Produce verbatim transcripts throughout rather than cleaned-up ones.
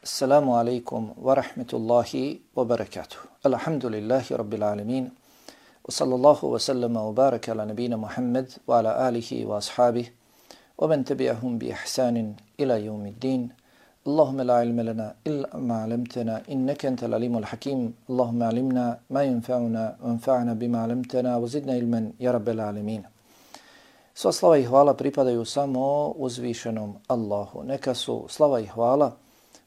Assalamu alaikum wa rahmetullahi wa barakatuh. Alhamdulillahi rabbil alamin. Wa sallallahu wa sallama wa baraka ala nabina Muhammad wa ala alihi wa ashabih wa man tabi'ahum bi ihsanin ila yawmiddin. Allahumma la ilma lana illa ma 'allamtana innaka antal alimul hakim. Allahumma 'allimna ma yanfa'una wanfa'na bima 'allamtana wa zidna ilman ya rabbil alamin. Sva slava i hvala pripadaju samo uzvišenom Allahu. Neka su slava i hvala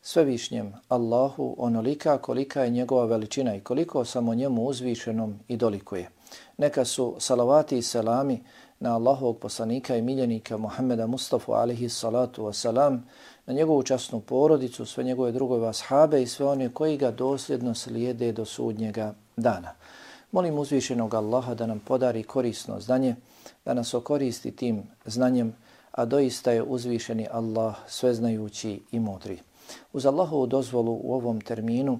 svevišnjem Allahu onolika kolika je njegova veličina i koliko samo njemu uzvišenom i dolikuje. Neka su salavati i selami na Allahovog poslanika i miljenika Muhammeda Mustafa alihi salatu wasalam, na njegovu časnu porodicu, sve njegove drugove ashabe i sve one koji ga dosljedno slijede do sudnjega dana. Molim uzvišenog Allaha da nam podari korisno znanje, da nas okoristi tim znanjem, a doista je uzvišeni Allah sveznajući i mudri. Uz Allahovu dozvolu u ovom terminu,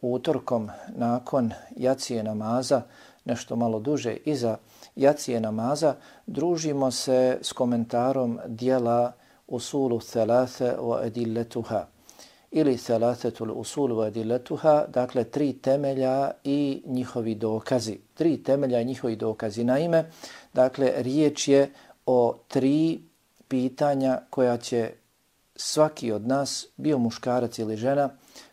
utorkom nakon jacije namaza, nešto malo duže iza jacije namaza, družimo se s komentarom dijela Usulu Thalathe wa Adilletuha ili Thalathatul Usul wa Adilletuha, dakle tri temelja i njihovi dokazi. Tri temelja i njihovi dokazi. Naime, dakle, riječ je o tri pitanja koja će svaki od nas, bio muškarac ili žena,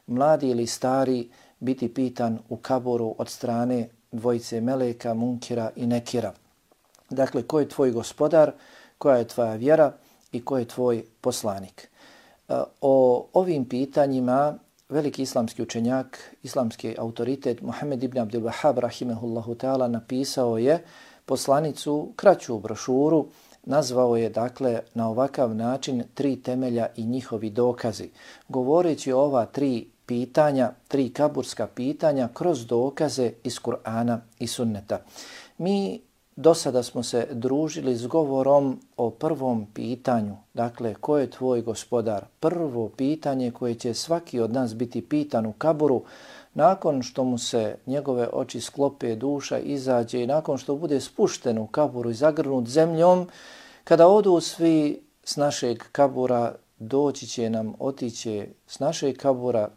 mladi ili stari, biti pitan u kaburu od strane dvojice meleka, munkira i nekira. Dakle, ko je tvoj gospodar, koja je tvoja vjera i ko je tvoj poslanik. O ovim pitanjima veliki islamski učenjak, islamski autoritet Muhammed ibn Abdul Wahhab rahimehullahu ta'ala napisao je poslanicu, kraću brošuru, nazvao je dakle na ovakav način tri temelja i njihovi dokazi. Govoreći o ova tri pitanja, tri kaburska pitanja kroz dokaze iz Kur'ana i Sunneta. Mi do sada smo se družili s govorom o prvom pitanju, dakle ko je tvoj gospodar? Prvo pitanje koje će svaki od nas biti pitan u kaburu nakon što mu se njegove oči sklope, duša izađe i nakon što bude spušten u kaburu i zagrnut zemljom, kada odu svi s našeg kabura, doći će nam, otiće s našeg kabura,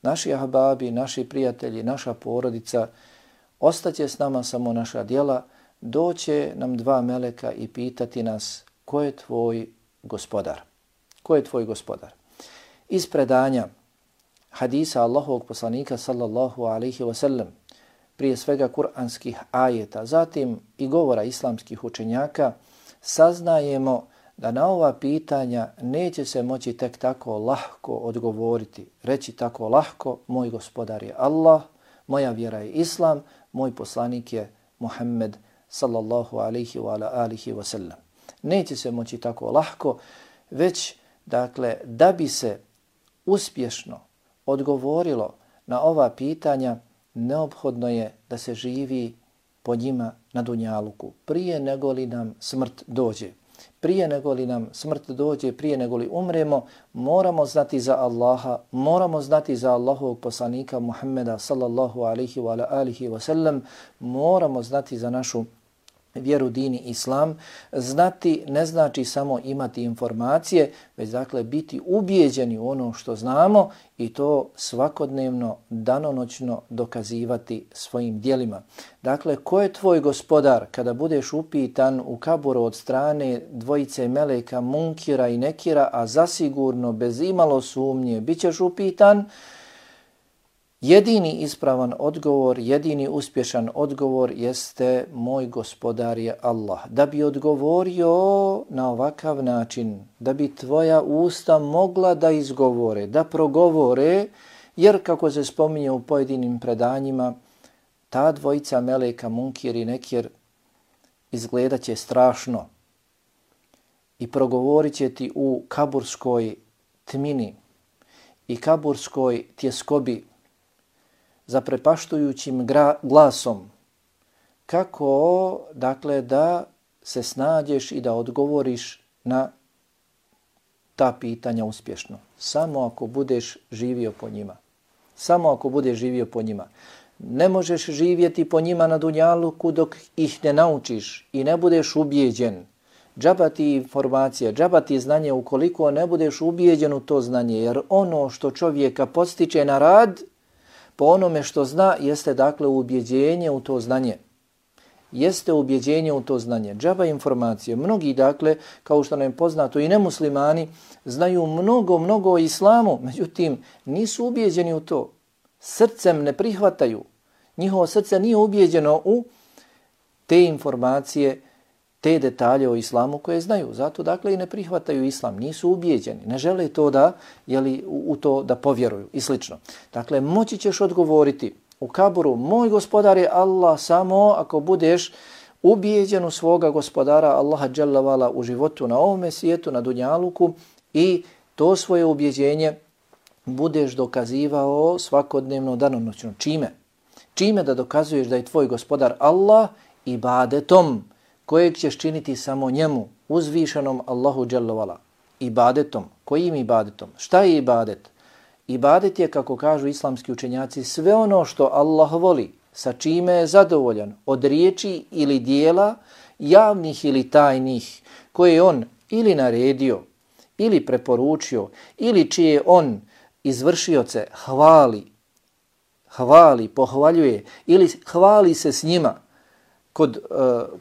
naši ahbabi, naši prijatelji, naša porodica, ostaće s nama samo naša djela, doće nam dva meleka i pitati nas ko je tvoj gospodar? Ko je tvoj gospodar? Iz predanja hadisa Allahovog poslanika sallallahu alaihi wasallam, prije svega kuranskih ajeta, zatim i govora islamskih učenjaka, saznajemo da na ova pitanja neće se moći tek tako lahko odgovoriti. Reći tako lahko, moj gospodar je Allah, moja vjera je Islam, moj poslanik je Muhammed sallallahu alaihi wa ala alihi wa sallam. Neće se moći tako lahko, već dakle da bi se uspješno odgovorilo na ova pitanja, neophodno je da se živi po njima na dunjaluku, prije nego li nam smrt dođe. Prije nego li nam smrt dođe, prije nego li umremo, moramo znati za Allaha, moramo znati za Allahovog poslanika Muhammeda sallallahu alaihi wa alihi wa sallam, moramo znati za našu vjeru, dini, islam. Znati ne znači samo imati informacije, već dakle biti ubijeđeni u ono što znamo i to svakodnevno, danonoćno dokazivati svojim djelima. Dakle, ko je tvoj gospodar kada budeš upitan u kaburu od strane dvojice meleka, munkira i nekira, a zasigurno bez imalo sumnje bit ćeš upitan? Jedini ispravan odgovor, jedini uspješan odgovor jeste moj gospodar je Allah. Da bi odgovorio na ovakav način, da bi tvoja usta mogla da izgovore, da progovore, jer kako se spominje u pojedinim predanjima, ta dvojica meleka, munkir i nekir, izgledat će strašno i progovorit će ti u kaburskoj tmini i kaburskoj tjeskobi, zaprepaštujućim glasom, kako dakle da se snađeš i da odgovoriš na ta pitanja uspješno. Samo ako budeš živio po njima. Samo ako budeš živio po njima. Ne možeš živjeti po njima na dunjaluku dok ih ne naučiš i ne budeš ubijeđen. džaba ti informacija, džaba ti znanje ukoliko ne budeš ubijeđen u to znanje, jer ono što čovjeka podstiče na rad, po onome što zna, jeste dakle ubjeđenje u to znanje. Jeste ubjeđenje u to znanje. Džaba informacije. Mnogi dakle, kao što nam je poznato i nemuslimani, znaju mnogo, mnogo o islamu, međutim nisu ubjeđeni u to. Srcem ne prihvataju. Njihovo srce nije ubjeđeno u te informacije, te detalje o islamu koje znaju. Zato dakle i ne prihvataju islam, nisu ubijeđeni, ne žele to da, jeli, u, u to da povjeruju i slično. Dakle, moći ćeš odgovoriti u kaburu, moj gospodar je Allah, samo ako budeš ubijeđen u svoga gospodara Allaha dželle vala u životu na ovome svijetu, na dunjaluku, i to svoje ubjeđenje budeš dokazivao svakodnevno, danonoćno. Čime? Čime da dokazuješ da je tvoj gospodar Allah ibadetom kojeg ćeš činiti samo njemu, uzvišenom Allahu dželle vala. Ibadetom. Kojim ibadetom? Šta je ibadet? Ibadet je, kako kažu islamski učenjaci, sve ono što Allah voli, sa čime je zadovoljan, od riječi ili dijela, javnih ili tajnih, koje je on ili naredio, ili preporučio, ili čije on izvršioce hvali, hvali, pohvaljuje, ili hvali se s njima kod uh,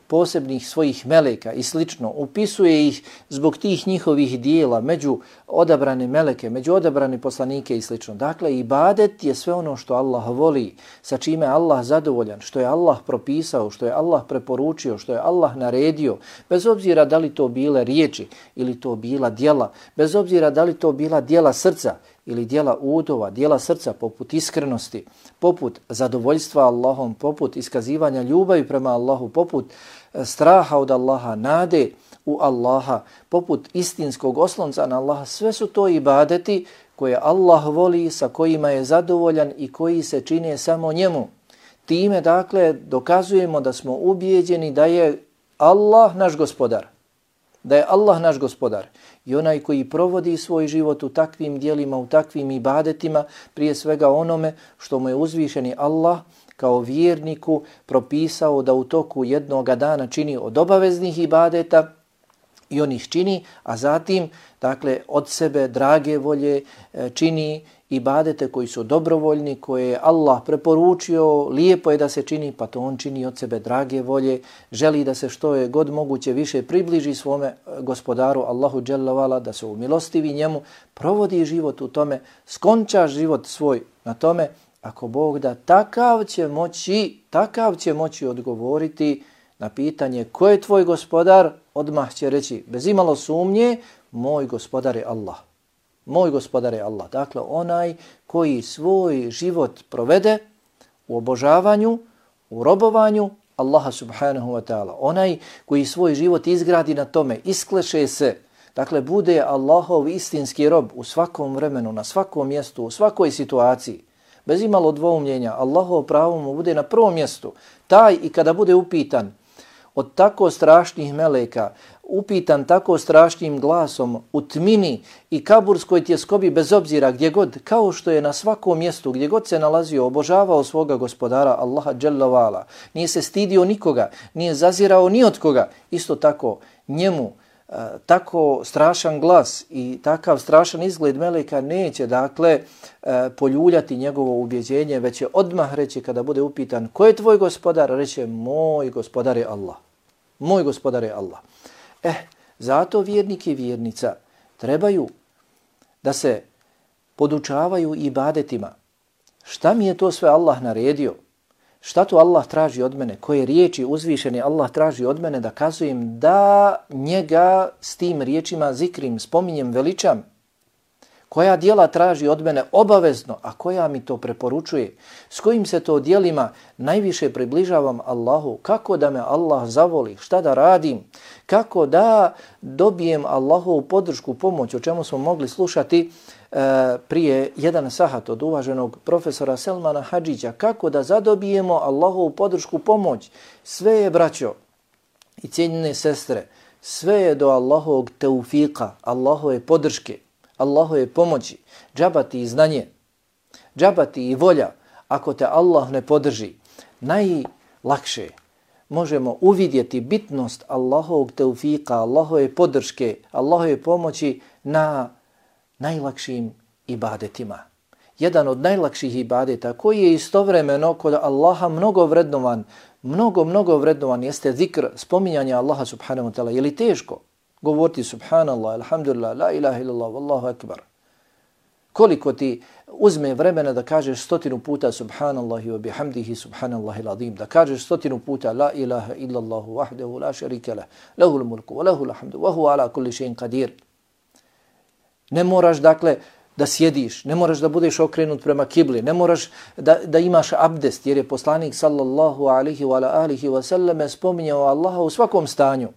posebnih svojih meleka i slično, upisuje ih zbog tih njihovih dijela među odabrane meleke, među odabrane poslanike i slično. Dakle, ibadet je sve ono što Allah voli, sa čime je Allah zadovoljan, što je Allah propisao, što je Allah preporučio, što je Allah naredio, bez obzira da li to bile riječi ili to bila djela, bez obzira da li to bila djela srca ili djela udova, djela srca poput iskrenosti, poput zadovoljstva Allahom, poput iskazivanja ljubavi prema Allahu, poput straha od Allaha, nade u Allaha, poput istinskog oslonca na Allaha. Sve su to ibadeti koje Allah voli, sa kojima je zadovoljan i koji se čine samo njemu. Time, dakle, dokazujemo da smo ubijeđeni da je Allah naš gospodar. Da je Allah naš gospodar. I onaj koji provodi svoj život u takvim dijelima, u takvim ibadetima, prije svega onome što mu je uzvišeni Allah kao vjerniku propisao da u toku jednoga dana čini od obaveznih ibadeta, i on ih čini, a zatim, dakle, od sebe drage volje čini ibadete koji su dobrovoljni, koje je Allah preporučio, lijepo je da se čini, pa to on čini od sebe drage volje, želi da se što je god moguće više približi svome gospodaru Allahu dželle vala, da se umilostivi njemu, provodi život u tome, skonča život svoj na tome. Ako Bog da, takav će moći, takav će moći odgovoriti na pitanje ko je tvoj gospodar, odmah će reći bez imalo sumnje, moj gospodar je Allah. Moj gospodar je Allah. Dakle, onaj koji svoj život provede u obožavanju, u robovanju Allaha subhanahu wa ta'ala. Onaj koji svoj život izgradi na tome, iskleše se, dakle, bude Allahov istinski rob u svakom vremenu, na svakom mjestu, u svakoj situaciji. Bez imalo dvoumljenja, Allahov pravo mu bude na prvom mjestu. Taj i kada bude upitan od tako strašnih meleka, upitan tako strašnim glasom u tmini i kaburskoj tjeskobi, bez obzira gdje god, kao što je na svakom mjestu gdje god se nalazio, obožavao svoga gospodara Allaha dželle vala, nije se stidio nikoga, nije zazirao ni od koga, isto tako njemu uh, tako strašan glas i takav strašan izgled meleka neće, dakle, uh, poljuljati njegovo ubjeđenje, već će odmah reći kada bude upitan ko je tvoj gospodar, reće moj gospodar je Allah. Moj gospodar je Allah. Eh, zato vjernik i vjernica trebaju da se podučavaju ibadetima. Šta mi je to sve Allah naredio? Šta to Allah traži od mene? Koje riječi uzvišeni Allah traži od mene da kazujem da njega s tim riječima zikrim, spominjem, veličam? Koja dijela traži od mene obavezno, a koja mi to preporučuje? S kojim se to dijelima najviše približavam Allahu? Kako da me Allah zavoli? Šta da radim? Kako da dobijem Allahovu podršku, pomoć, o čemu smo mogli slušati e, prije jedan sahat od uvaženog profesora Selmana Hadžića? Kako da zadobijemo Allahovu podršku, pomoć? Sve je, braćo i cijenjene sestre, sve je do Allahovog teufika, Allahove podrške, Allahove pomoći, džabati i znanje, džabati i volja. Ako te Allah ne podrži, najlakše, možemo uvidjeti bitnost Allahovog teufika, Allahove podrške, Allahove pomoći na najlakšim ibadetima. Jedan od najlakših ibadeta koji je istovremeno kod Allaha mnogo vrednovan, mnogo, mnogo vrednovan jeste zikr, spominjanje Allaha subhanahu wa ta'ala. Je li teško govoriti subhanallah, alhamdulillah, la ilaha illallah, wallahu akbar? Koliko ti uzme vremena da kažeš stotinu puta subhanallahi wa bihamdihi subhanallahi l'azim, da kažeš stotinu puta la ilaha illallahu wahdahu la sharika lah, lahul mulku wa lahul hamdu wa huwa ala kulli shay'in qadir. Ne moraš dakle da sjediš, ne moraš da budeš okrenut prema kibli, ne moraš da, da imaš abdest, jer je poslanik sallallahu alihi wa alihi wa sallam spominjao Allaha u svakom stanju.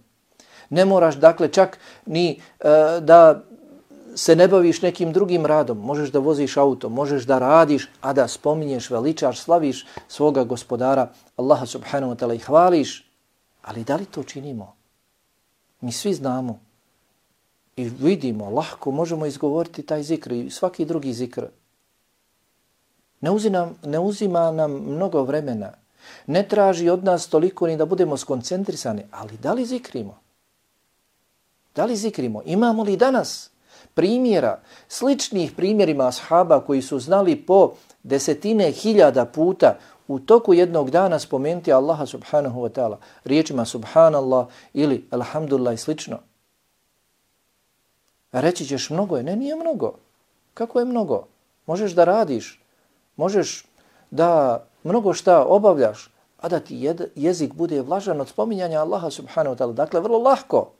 Ne moraš dakle čak ni uh, da se ne baviš nekim drugim radom, možeš da voziš auto, možeš da radiš, a da spominješ, veličaš, slaviš svoga gospodara Allaha subhanahu wa ta'ala i hvališ. Ali da li to činimo? Mi svi znamo i vidimo, lahko možemo izgovoriti taj zikr i svaki drugi zikr. Ne uzima, ne uzima nam mnogo vremena, ne traži od nas toliko ni da budemo skoncentrisani, ali da li zikrimo? Da li zikrimo? Imamo li danas primjera, sličnih primjerima ashaba koji su znali po desetine hiljada puta u toku jednog dana spomenuti Allaha subhanahu wa ta'ala riječima subhanallah ili alhamdulillah i slično? Reći ćeš mnogo je. Ne, nije mnogo. Kako je mnogo? Možeš da radiš, možeš da mnogo šta obavljaš, a da ti jezik bude vlažan od spominjanja Allaha subhanahu wa ta'ala. Dakle, vrlo lahko.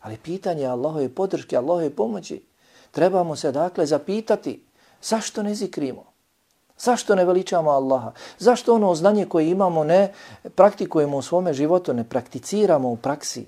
Ali pitanje Allahove podrške, Allahove pomoći, trebamo se dakle zapitati zašto ne zikrimo? Zašto ne veličamo Allaha? Zašto ono znanje koje imamo ne praktikujemo u svome životu, ne prakticiramo u praksi?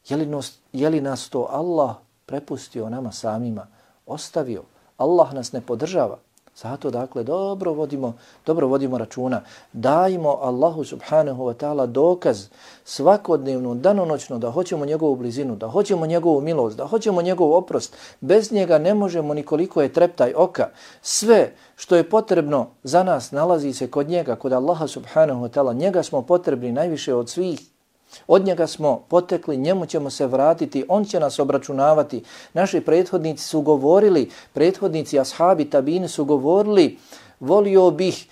Je li, nos, je li nas to Allah prepustio nama samima, ostavio? Allah nas ne podržava. Zato dakle dobro vodimo, dobro vodimo računa. Dajmo Allahu subhanahu wa ta'ala dokaz svakodnevno, danonoćno da hoćemo njegovu blizinu, da hoćemo njegovu milost, da hoćemo njegov oprost. Bez njega ne možemo nikoliko je treptaj oka. Sve što je potrebno za nas nalazi se kod njega, kod Allaha subhanahu wa ta'ala. Njega smo potrebni najviše od svih. Od njega smo potekli, njemu ćemo se vratiti, on će nas obračunavati. Naši prethodnici su govorili, prethodnici ashabi tabini su govorili, volio bih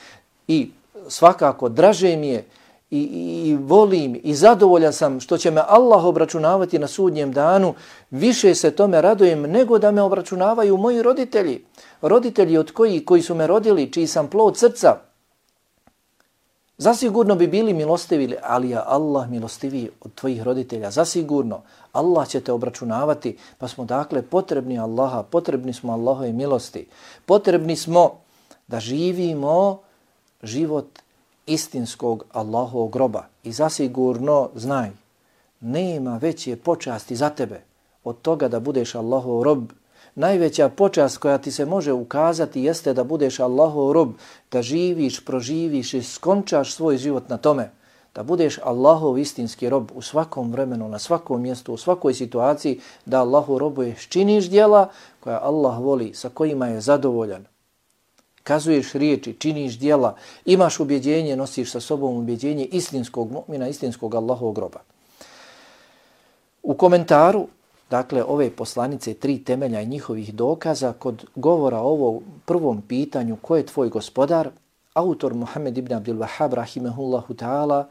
i svakako draže mi je i, i, i volim i zadovoljan sam što će me Allah obračunavati na sudnjem danu. Više se tome radujem nego da me obračunavaju moji roditelji. Roditelji od koji, koji su me rodili, čiji sam plod srca. Zasigurno bi bili milostivi, ali je Allah milostiviji od tvojih roditelja. Zasigurno Allah će te obračunavati, pa smo dakle potrebni Allaha, potrebni smo Allahove milosti. Potrebni smo da živimo život istinskog Allahovog roba. I zasigurno znaj, nema veće počasti za tebe od toga da budeš Allahov rob. Najveća počast koja ti se može ukazati jeste da budeš Allahov rob, da živiš, proživiš i skončaš svoj život na tome. Da budeš Allahov istinski rob u svakom vremenu, na svakom mjestu, u svakoj situaciji, da Allahov robuješ, činiš djela koja Allah voli, sa kojima je zadovoljan. Kazuješ riječi, činiš djela, imaš ubjeđenje, nosiš sa sobom ubjeđenje istinskog mu'mina, istinskog Allahovog roba. U komentaru dakle, ove poslanice, tri temelja i njihovih dokaza, kod govora o ovom prvom pitanju, ko je tvoj gospodar, autor Muhammed ibn Abdul Wahhab, rahimehullahu ta'ala,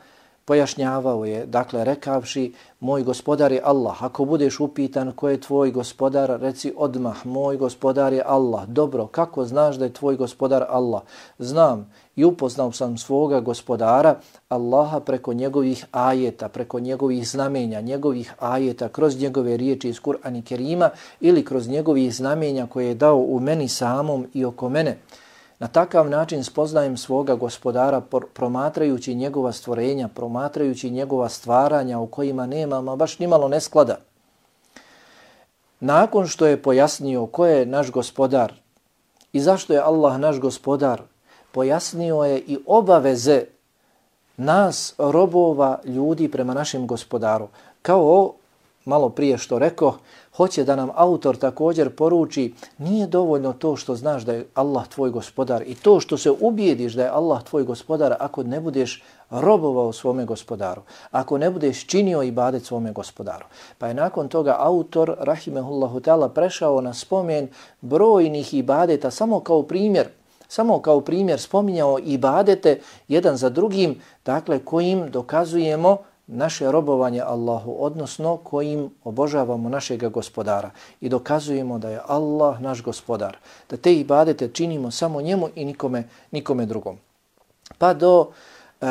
pojašnjavao je, dakle, rekavši, moj gospodar je Allah. Ako budeš upitan ko je tvoj gospodar, reci odmah, moj gospodar je Allah. Dobro, kako znaš da je tvoj gospodar Allah? Znam i upoznao sam svoga gospodara, Allaha, preko njegovih ajeta, preko njegovih znamenja, njegovih ajeta, kroz njegove riječi iz Kur'ana Kerima ili kroz njegovih znamenja koje je dao u meni samom i oko mene. Na takav način spoznajem svoga gospodara promatrajući njegova stvorenja, promatrajući njegova stvaranja u kojima nema ma baš nimalo nesklada. Nakon što je pojasnio ko je naš gospodar i zašto je Allah naš gospodar, pojasnio je i obaveze nas, robova, ljudi prema našem gospodaru. Kao malo prije što rekao, Hoće da nam autor također poruči, nije dovoljno to što znaš da je Allah tvoj gospodar i to što se ubijediš da je Allah tvoj gospodar ako ne budeš robovao svome gospodaru, ako ne budeš činio ibadet svome gospodaru. Pa je nakon toga autor, rahimehullahu ta'ala, prešao na spomen brojnih ibadeta samo kao primjer, samo kao primjer spominjao ibadete jedan za drugim, dakle kojim dokazujemo naše robovanje Allahu, odnosno kojim obožavamo našega gospodara i dokazujemo da je Allah naš gospodar, da te ibadete činimo samo njemu i nikome, nikome drugom. Pa do e,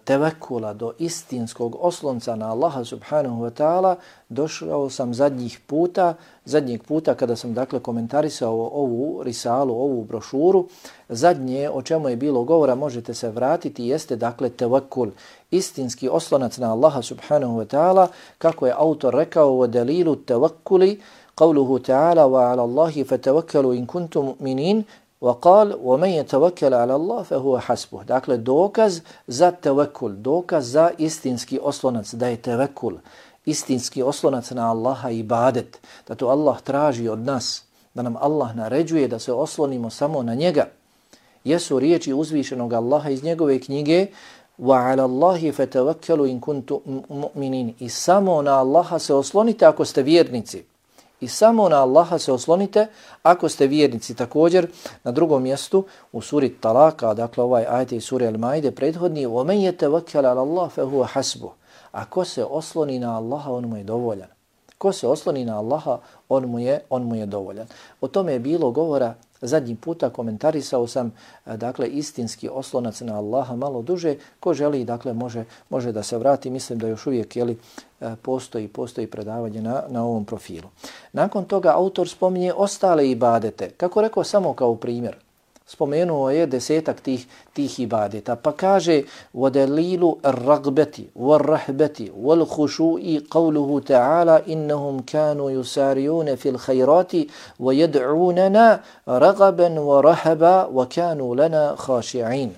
tevekula, do istinskog oslonca na Allaha subhanahu wa ta'ala došao sam zadnjih puta, zadnjeg puta kada sam dakle komentarisao ovu risalu, ovu brošuru. Zadnje o čemu je bilo govora, možete se vratiti, jeste dakle tevekul, istinski oslonac na Allaha subhanahu wa ta'ala, kako je autor rekao u delilu tevekuli, qavluhu ta'ala wa ala Allahi fatevekelu in kuntum mu'minin, وقال ومن يتوكل على الله فهو حسبه. Dakle, dokaz za tevekul, dokaz za istinski oslonac, da je tevekul, istinski oslonac na Allaha ibadet, da to Allah traži od nas, da nam Allah naređuje da se oslonimo samo na njega. Jesu riječi uzvišenog Allaha iz njegove knjige وَعَلَى اللَّهِ فَتَوَكَّلُوا إِن كُنتُم مُؤْمِنِينَ. I samo na Allaha se oslonite ako ste vjernici. I samo na Allaha se oslonite ako ste vjernici. Također na drugom mjestu u suri Talaka, dakle ovaj ajet iz sure Al-Maide prethodni, وَمَنْ يَتَوَكَّلَ عَلَى اللَّهِ فَهُوَ حَسْبُهُ. Ako se osloni na Allaha, on mu je dovoljan. Ko se osloni na Allaha, on mu je, on mu je dovoljan. O tome je bilo govora zadnji puta, komentarisao sam dakle istinski oslonac na Allaha malo duže. Ko želi, dakle može, može da se vrati. Mislim da još uvijek jeli, postoji, postoji predavanje na, na ovom profilu. Nakon toga autor spominje ostale ibadete. Kako rekao, samo kao primjer. Spomenuo je desetak tih, tih ibadeta. Pa kaže وَدَلِيلُ الرَّغْبَةِ وَالرَّحْبَةِ وَالْخُشُوءِ قَوْلُهُ تَعَالَى إِنَّهُمْ كَانُوا يُسَارِعُونَ فِي الْخَيْرَاتِ وَيَدْعُونَنَا رَغَبًا وَرَهَبًا وَكَانُوا لَنَا خَاشِعِينَ.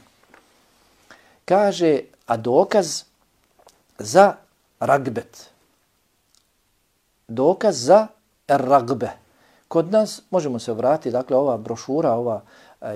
Kaže, a dokaz za ragbet. Dokaz za ragbe. Kod nas, možemo se vratiti, dakle ova brošura, ova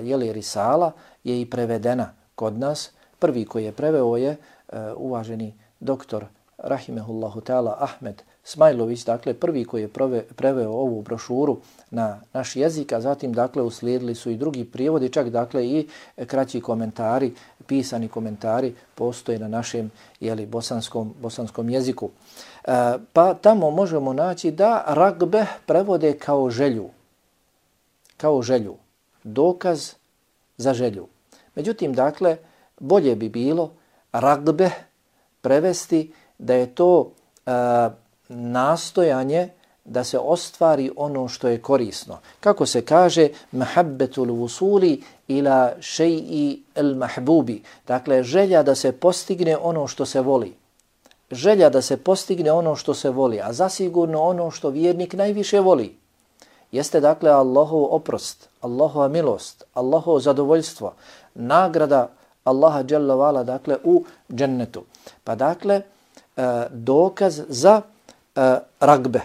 jeli risala je i prevedena kod nas. Prvi koji je preveo je uh, uvaženi doktor rahimehullahu ta'ala Ahmed Smajlović, dakle prvi koji je prove, preveo ovu brošuru na naš jezik, a zatim dakle uslijedili su i drugi prijevodi, čak dakle i kraći komentari, pisani komentari postoje na našem jeli, bosanskom, bosanskom jeziku. Uh, pa tamo možemo naći da ragbe prevode kao želju, kao želju. Dokaz za želju. Međutim, dakle, bolje bi bilo ragbe prevesti da je to e, nastojanje da se ostvari ono što je korisno. Kako se kaže, mahabbetul wusuli ila shay'i al-mahbubi. Dakle, želja da se postigne ono što se voli. Želja da se postigne ono što se voli, a zasigurno ono što vjernik najviše voli. Jeste dakle Allahov oprost, Allahova milost, Allahovo zadovoljstvo, nagrada Allaha dželle vala dakle u džennetu. Pa dakle dokaz za ragbe,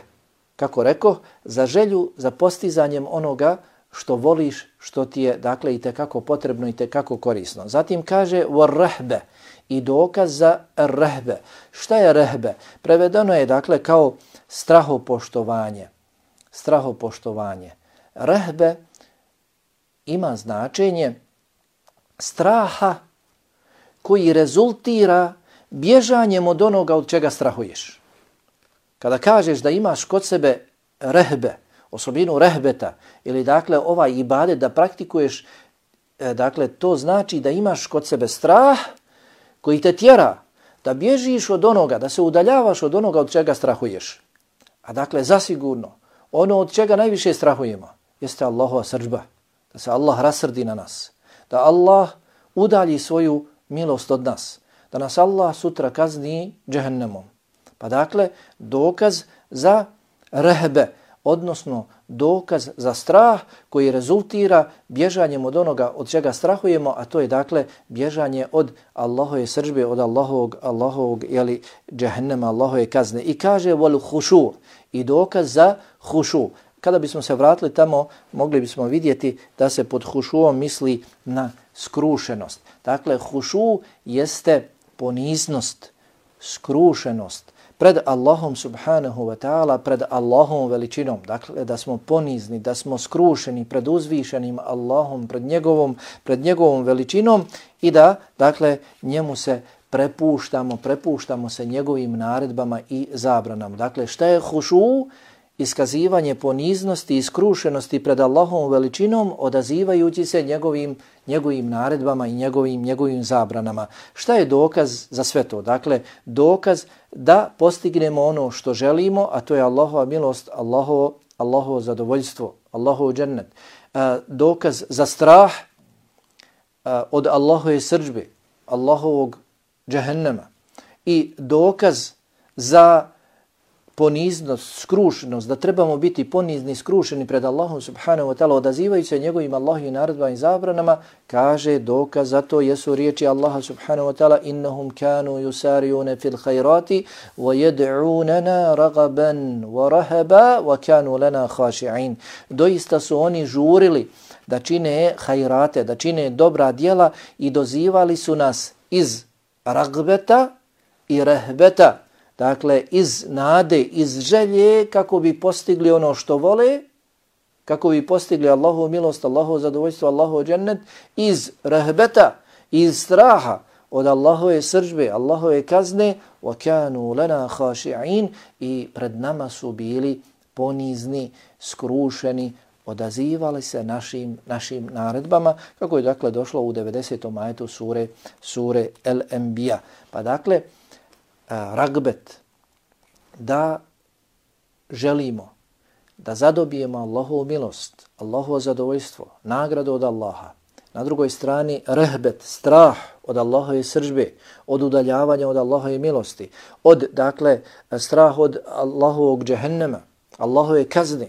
kako rekao, za želju, za postizanjem onoga što voliš, što ti je dakle i tekako potrebno i tekako korisno. Zatim kaže warahbe, i dokaz za rehbe. Šta je rehbe? Prevedeno je dakle kao strahopoštovanje. Strahopoštovanje. Rehbe ima značenje straha koji rezultira bježanjem od onoga od čega strahuješ. Kada kažeš da imaš kod sebe rehbe, osobinu rehbeta, ili dakle ovaj ibadet da praktikuješ, dakle to znači da imaš kod sebe strah koji te tjera da bježiš od onoga, da se udaljavaš od onoga od čega strahuješ. A dakle zasigurno ono od čega najviše strahujemo jeste Allahova srdžba, da se Allah rasrdi na nas, da Allah udalji svoju milost od nas, da nas Allah sutra kazni džehennemom. Pa dakle, dokaz za rehbe, odnosno dokaz za strah koji rezultira bježanjem od onoga od čega strahujemo, a to je dakle bježanje od Allahove srdžbe, od Allahovog, Allahovog jeli, džehennema, Allahove kazne. I kaže wal hušu, i dokaz za hušu. Kada bismo se vratili tamo, mogli bismo vidjeti da se pod hušuom misli na skrušenost. Dakle, hušu jeste poniznost, skrušenost pred Allahom subhanahu wa ta'ala, pred Allahom veličinom. Dakle, da smo ponizni, da smo skrušeni pred uzvišenim Allahom, pred njegovom, pred njegovom veličinom i da, dakle, njemu se prepuštamo, prepuštamo se njegovim naredbama i zabranama. Dakle, šta je hušu? Iskazivanje poniznosti i skrušenosti pred Allahovom veličinom, odazivajući se njegovim, njegovim naredbama i njegovim, njegovim zabranama. Šta je dokaz za sve to? Dakle, dokaz da postignemo ono što želimo, a to je Allahova milost, Allahovo, Allahovo zadovoljstvo, Allahov džennet. E, dokaz za strah e, od Allahove srdžbe, Allahovog džehennema. I dokaz za poniznost, skrušenost, da trebamo biti ponizni, skrušeni pred Allahom subhanahu wa ta'ala, odazivajući se njegovim Allahovim naredbama i zabranama, kaže dokaz za to jesu riječi Allaha subhanahu wa ta'ala innahum kanu yusari'una fil khairati wa yad'unana ragaban wa rahaba wa kanu lana khashi'in. Doista su oni žurili da čine hajrate, da čine dobra djela i dozivali su nas iz ragbeta i rehbeta, dakle iz nade, iz želje kako bi postigli ono što vole, kako bi postigli Allahovu milost, Allahovu zadovoljstvo, Allahov džennet, iz rehbeta, iz straha od Allahove srdžbe, Allahove kazne, وَكَانُوا لَنَا خَاشِعِينَ, i pred nama su bili ponizni, skrušeni, odazivali se našim, našim naredbama, kako je dakle došlo u devedesetom ajetu sure, sure El-Enbiya. Pa dakle, ragbet, da želimo da zadobijemo Allahovu milost, Allahovo zadovoljstvo, nagradu od Allaha. Na drugoj strani rehbet, strah od Allahove srdžbe, od udaljavanja od Allahove milosti, od, dakle, strah od Allahovog džehennema, Allahove kazne.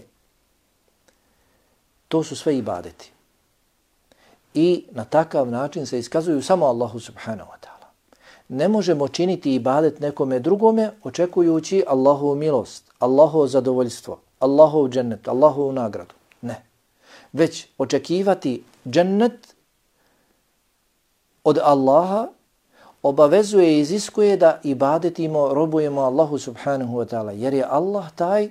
To su sve ibadeti. I na takav način se iskazuju samo Allahu subhanahu wa ta'ala. Ne možemo činiti ibadet nekome drugome očekujući Allahovu milost, Allahovo zadovoljstvo, Allahov džennet, Allahovu nagradu. Ne. Već očekivati džennet od Allaha obavezuje i iziskuje da ibadetimo, robujemo Allahu subhanahu wa ta'ala, jer je Allah taj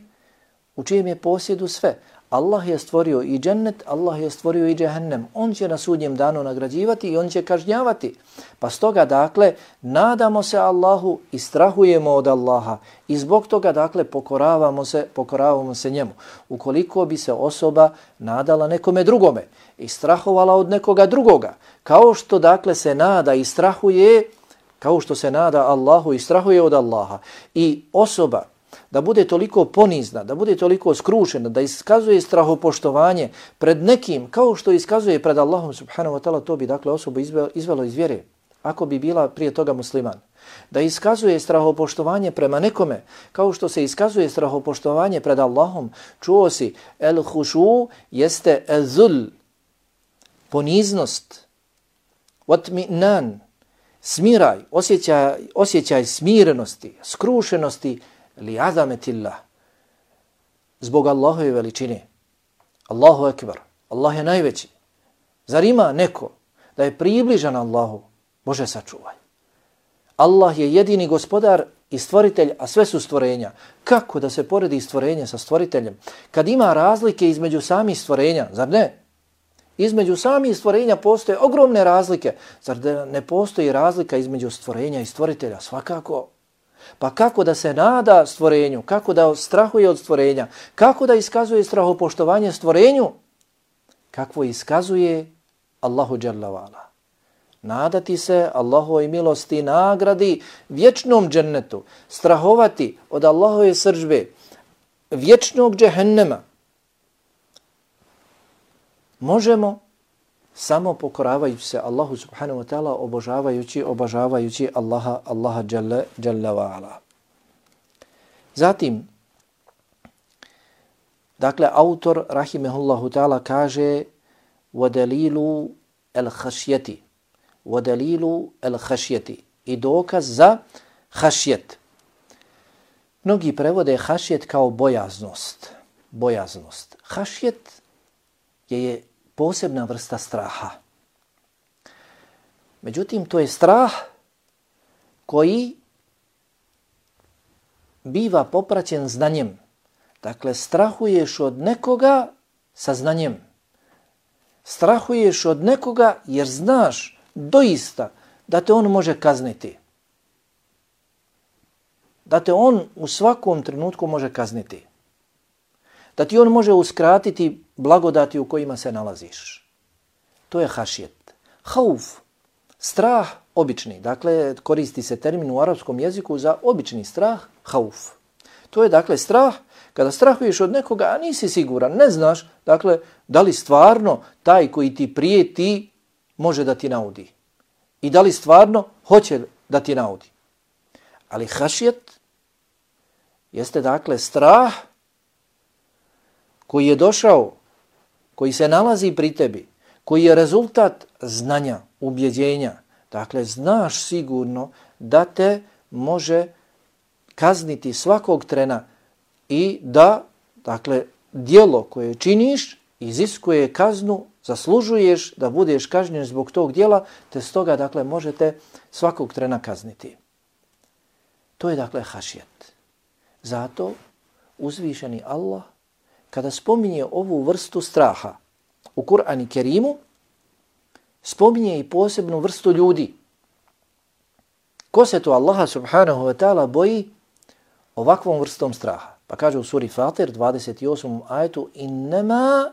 u čijem je posjedu sve. Allah je stvorio i džennet, Allah je stvorio i džehennem. On će na sudnjem danu nagrađivati i on će kažnjavati. Pa stoga, dakle, nadamo se Allahu i strahujemo od Allaha i zbog toga, dakle, pokoravamo se, pokoravamo se njemu. Ukoliko bi se osoba nadala nekome drugome i strahovala od nekoga drugoga, kao što, dakle, se nada i strahuje, kao što se nada Allahu i strahuje od Allaha, i osoba da bude toliko ponizna, da bude toliko skrušena, da iskazuje strahopoštovanje pred nekim, kao što iskazuje pred Allahom subhanahu wa ta'ala, to bi, dakle, osobu izvelo iz vjere, ako bi bila prije toga musliman. Da iskazuje strahopoštovanje prema nekome, kao što se iskazuje strahopoštovanje pred Allahom. Čuo si, el hušu jeste el zul, poniznost, watmi'nan, smiraj, osjećaj, osjećaj smirenosti, skrušenosti, li azametillah, zbog Allahove veličine. Allahu ekber, Allah je najveći. Zar ima neko da je približan Allahu? Bože, sačuvaj. Allah je jedini gospodar i stvoritelj, a sve su stvorenja. Kako da se poredi stvorenje sa stvoriteljem? Kad ima razlike između samih stvorenja, zar ne? Između samih stvorenja postoje ogromne razlike. Zar da ne postoji razlika između stvorenja i stvoritelja? Svakako. Pa kako da se nada stvorenju, kako da strahuje od stvorenja, kako da iskazuje strahopoštovanje stvorenju, kakvo iskazuje Allahu dželle vala. Nadati se Allahovoj milosti, nagradi, vječnom džennetu, strahovati od Allahove srdžbe, vječnog džehennema. Možemo samo pokoravajući se Allahu subhanahu wa ta'ala, obožavajući, obožavajući Allaha, Allaha dželle, dželle wa ala. Zatim, Dakle, autor, rahimehullahu ta'ala, kaže وَدَلِيلُ الْخَشْيَةِ وَدَلِيلُ الْخَشْيَةِ i dokaz za hašjet. Mnogi prevode hašjet kao bojaznost. Bojaznost. Hašjet je posebna vrsta straha. Međutim, to je strah koji biva popraćen znanjem. Dakle, strahuješ od nekoga sa znanjem. Strahuješ od nekoga jer znaš doista da te on može kazniti. Da te on u svakom trenutku može kazniti. Da ti on može uskratiti blagodati u kojima se nalaziš. To je hašjet. Hauf, strah obični. Dakle, koristi se termin u arapskom jeziku za obični strah, hauf. To je dakle strah kada strahuješ od nekoga, a nisi siguran, ne znaš, dakle, da li stvarno taj koji ti prijeti može da ti naudi. I da li stvarno hoće da ti naudi. Ali hašjet jeste dakle strah koji je došao, koji se nalazi pri tebi, koji je rezultat znanja, ubjeđenja. Dakle, znaš sigurno da te može kazniti svakog trena i da, dakle, djelo koje činiš iziskuje kaznu, zaslužuješ da budeš kažnjen zbog tog djela, te stoga, dakle, možete svakog trena kazniti. To je, dakle, hašjet. Zato uzvišeni Allah, kada spominje ovu vrstu straha u Kur'anu Kerimu, spominje i posebnu vrstu ljudi. Ko se to Allaha subhanahu wa ta'ala boji ovakvom vrstom straha? Pa kaže u suri Fatir, dvadeset osmom ajetu, innama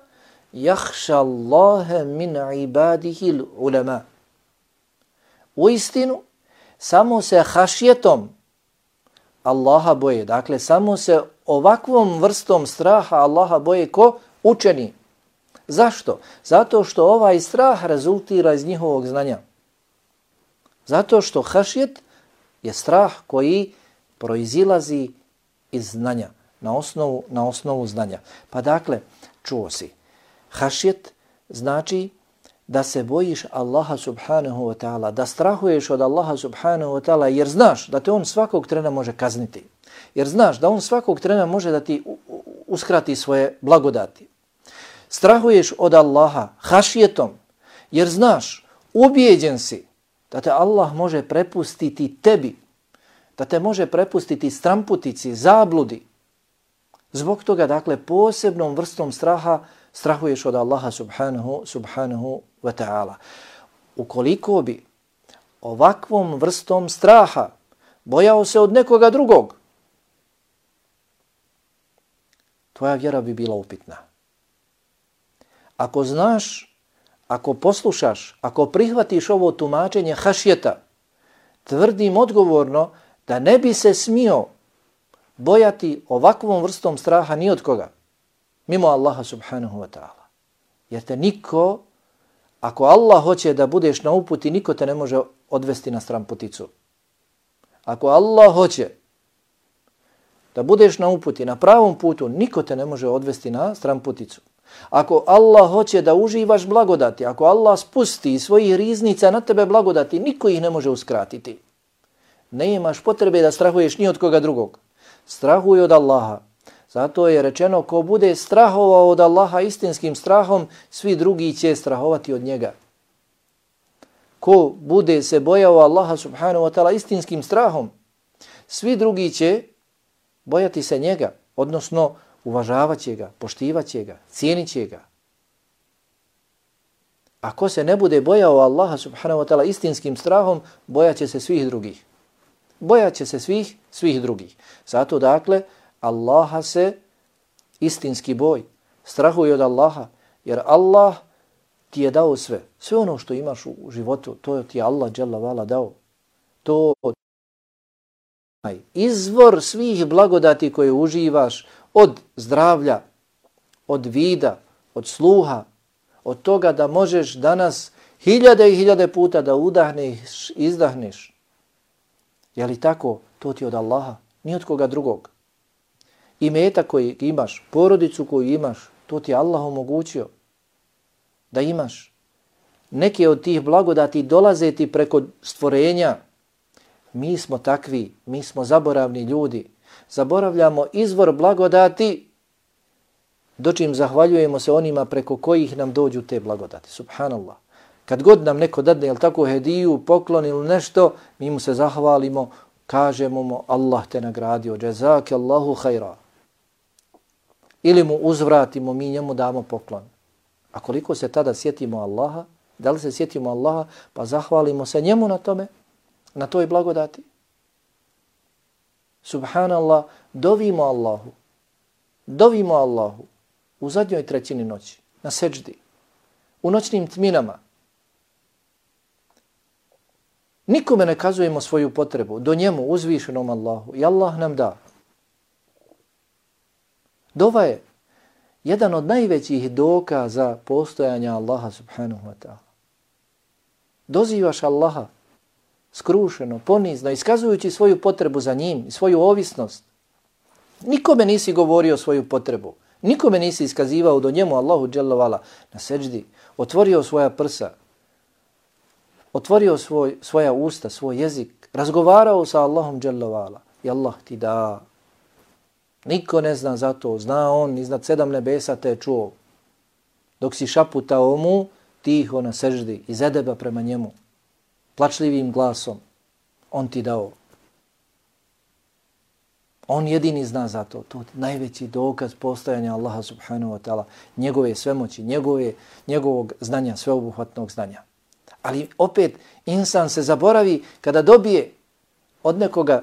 jahša Allahe min ibadihi ulema. U istinu, samo se hašjetom Allaha boje. Dakle, samo se ovakvom vrstom straha Allaha boje ko? Učeni. Zašto? Zato što ovaj strah rezultira iz njihovog znanja. Zato što hašjet je strah koji proizilazi iz znanja, na osnovu, na osnovu znanja. Pa dakle, čuo si, hašjet znači da se bojiš Allaha subhanahu wa ta'ala, da strahuješ od Allaha subhanahu wa ta'ala jer znaš da te on svakog trena može kazniti. Jer znaš da on svakog trena može da ti uskrati svoje blagodati. Strahuješ od Allaha hašjetom jer znaš, ubijeđen si da te Allah može prepustiti tebi, da te može prepustiti stramputici, zabludi. Zbog toga, dakle, posebnom vrstom straha strahuješ od Allaha subhanahu, subhanahu wa ta'ala. Ukoliko bi ovakvom vrstom straha bojao se od nekoga drugog, tvoja vjera bi bila upitna. Ako znaš, ako poslušaš, ako prihvatiš ovo tumačenje hašjeta, tvrdim odgovorno da ne bi se smio bojati ovakvom vrstom straha ni od koga, mimo Allaha subhanahu wa ta'ala. Jer te niko, ako Allah hoće da budeš na uputi, niko te ne može odvesti na stramputicu. Ako Allah hoće da budeš na uputi, na pravom putu, niko te ne može odvesti na stramputicu. Ako Allah hoće da uživaš blagodati, ako Allah spusti svojih riznica na tebe blagodati, niko ih ne može uskratiti. Ne imaš potrebe da strahuješ ni od koga drugog. Strahuj od Allaha. Zato je rečeno, ko bude strahovao od Allaha istinskim strahom, svi drugi će strahovati od njega. Ko bude se bojao Allaha subhanahu wa ta'ala istinskim strahom, svi drugi će bojati se njega, odnosno uvažavat će ga, poštivat će ga, cijenit će ga. Ako se ne bude bojao Allaha subhanahu wa ta'ala istinskim strahom, bojat će se svih drugih. Bojat će se svih, svih drugih. Zato dakle, Allaha se istinski boj. Strahuj od Allaha, jer Allah ti je dao sve. Sve ono što imaš u životu, to ti je Allah dželle vala dao. To je izvor svih blagodati koje uživaš, od zdravlja, od vida, od sluha, od toga da možeš danas hiljade i hiljade puta da udahneš, izdahneš. Je li tako? To ti od Allaha, ni od koga drugog. Imetak koji imaš, porodicu koju imaš, to ti je Allah omogućio da imaš. Neke od tih blagodati dolaze ti preko stvorenja. Mi smo takvi, mi smo zaboravni ljudi. Zaboravljamo izvor blagodati, dočim zahvaljujemo se onima preko kojih nam dođu te blagodati. Subhanallah. Kad god nam neko dadne, jel tako, hediju, poklon ili nešto, mi mu se zahvalimo, kažemo mu Allah te nagradio, džezake Allahu hajra. Ili mu uzvratimo, mi njemu damo poklon. A koliko se tada sjetimo Allaha, da li se sjetimo Allaha, pa zahvalimo se njemu na tome, na toj blagodati. Subhanallah, dovimo Allahu, dovimo Allahu u zadnjoj trećini noći, na seđdi, u noćnim tminama. Nikome ne kazujemo svoju potrebu, do njemu, uzvišenom Allahu, i Allah nam da. Dova je jedan od najvećih dokaza postojanja Allaha subhanahu wa ta'ala. Dozivaš Allaha skrušeno, ponizno, iskazujući svoju potrebu za njim i svoju ovisnost. Nikome nisi govorio svoju potrebu, nikome nisi iskazivao do njemu Allahu dželle vala na seđdi, otvorio svoja prsa, otvorio svoj, svoja usta, svoj jezik, razgovarao sa Allahom dželle vala i Allah ti da. Niko ne zna za to, zna on iznad sedam nebesa te čuo. Dok si šaputao mu, tiho na seždi, iz edeba prema njemu, plačljivim glasom, on ti dao. On jedini zna za to. To je najveći dokaz postojanja Allaha subhanahu wa ta'ala, njegove svemoći, njegove, njegovog znanja, sveobuhvatnog znanja. Ali opet, insan se zaboravi kada dobije od nekoga,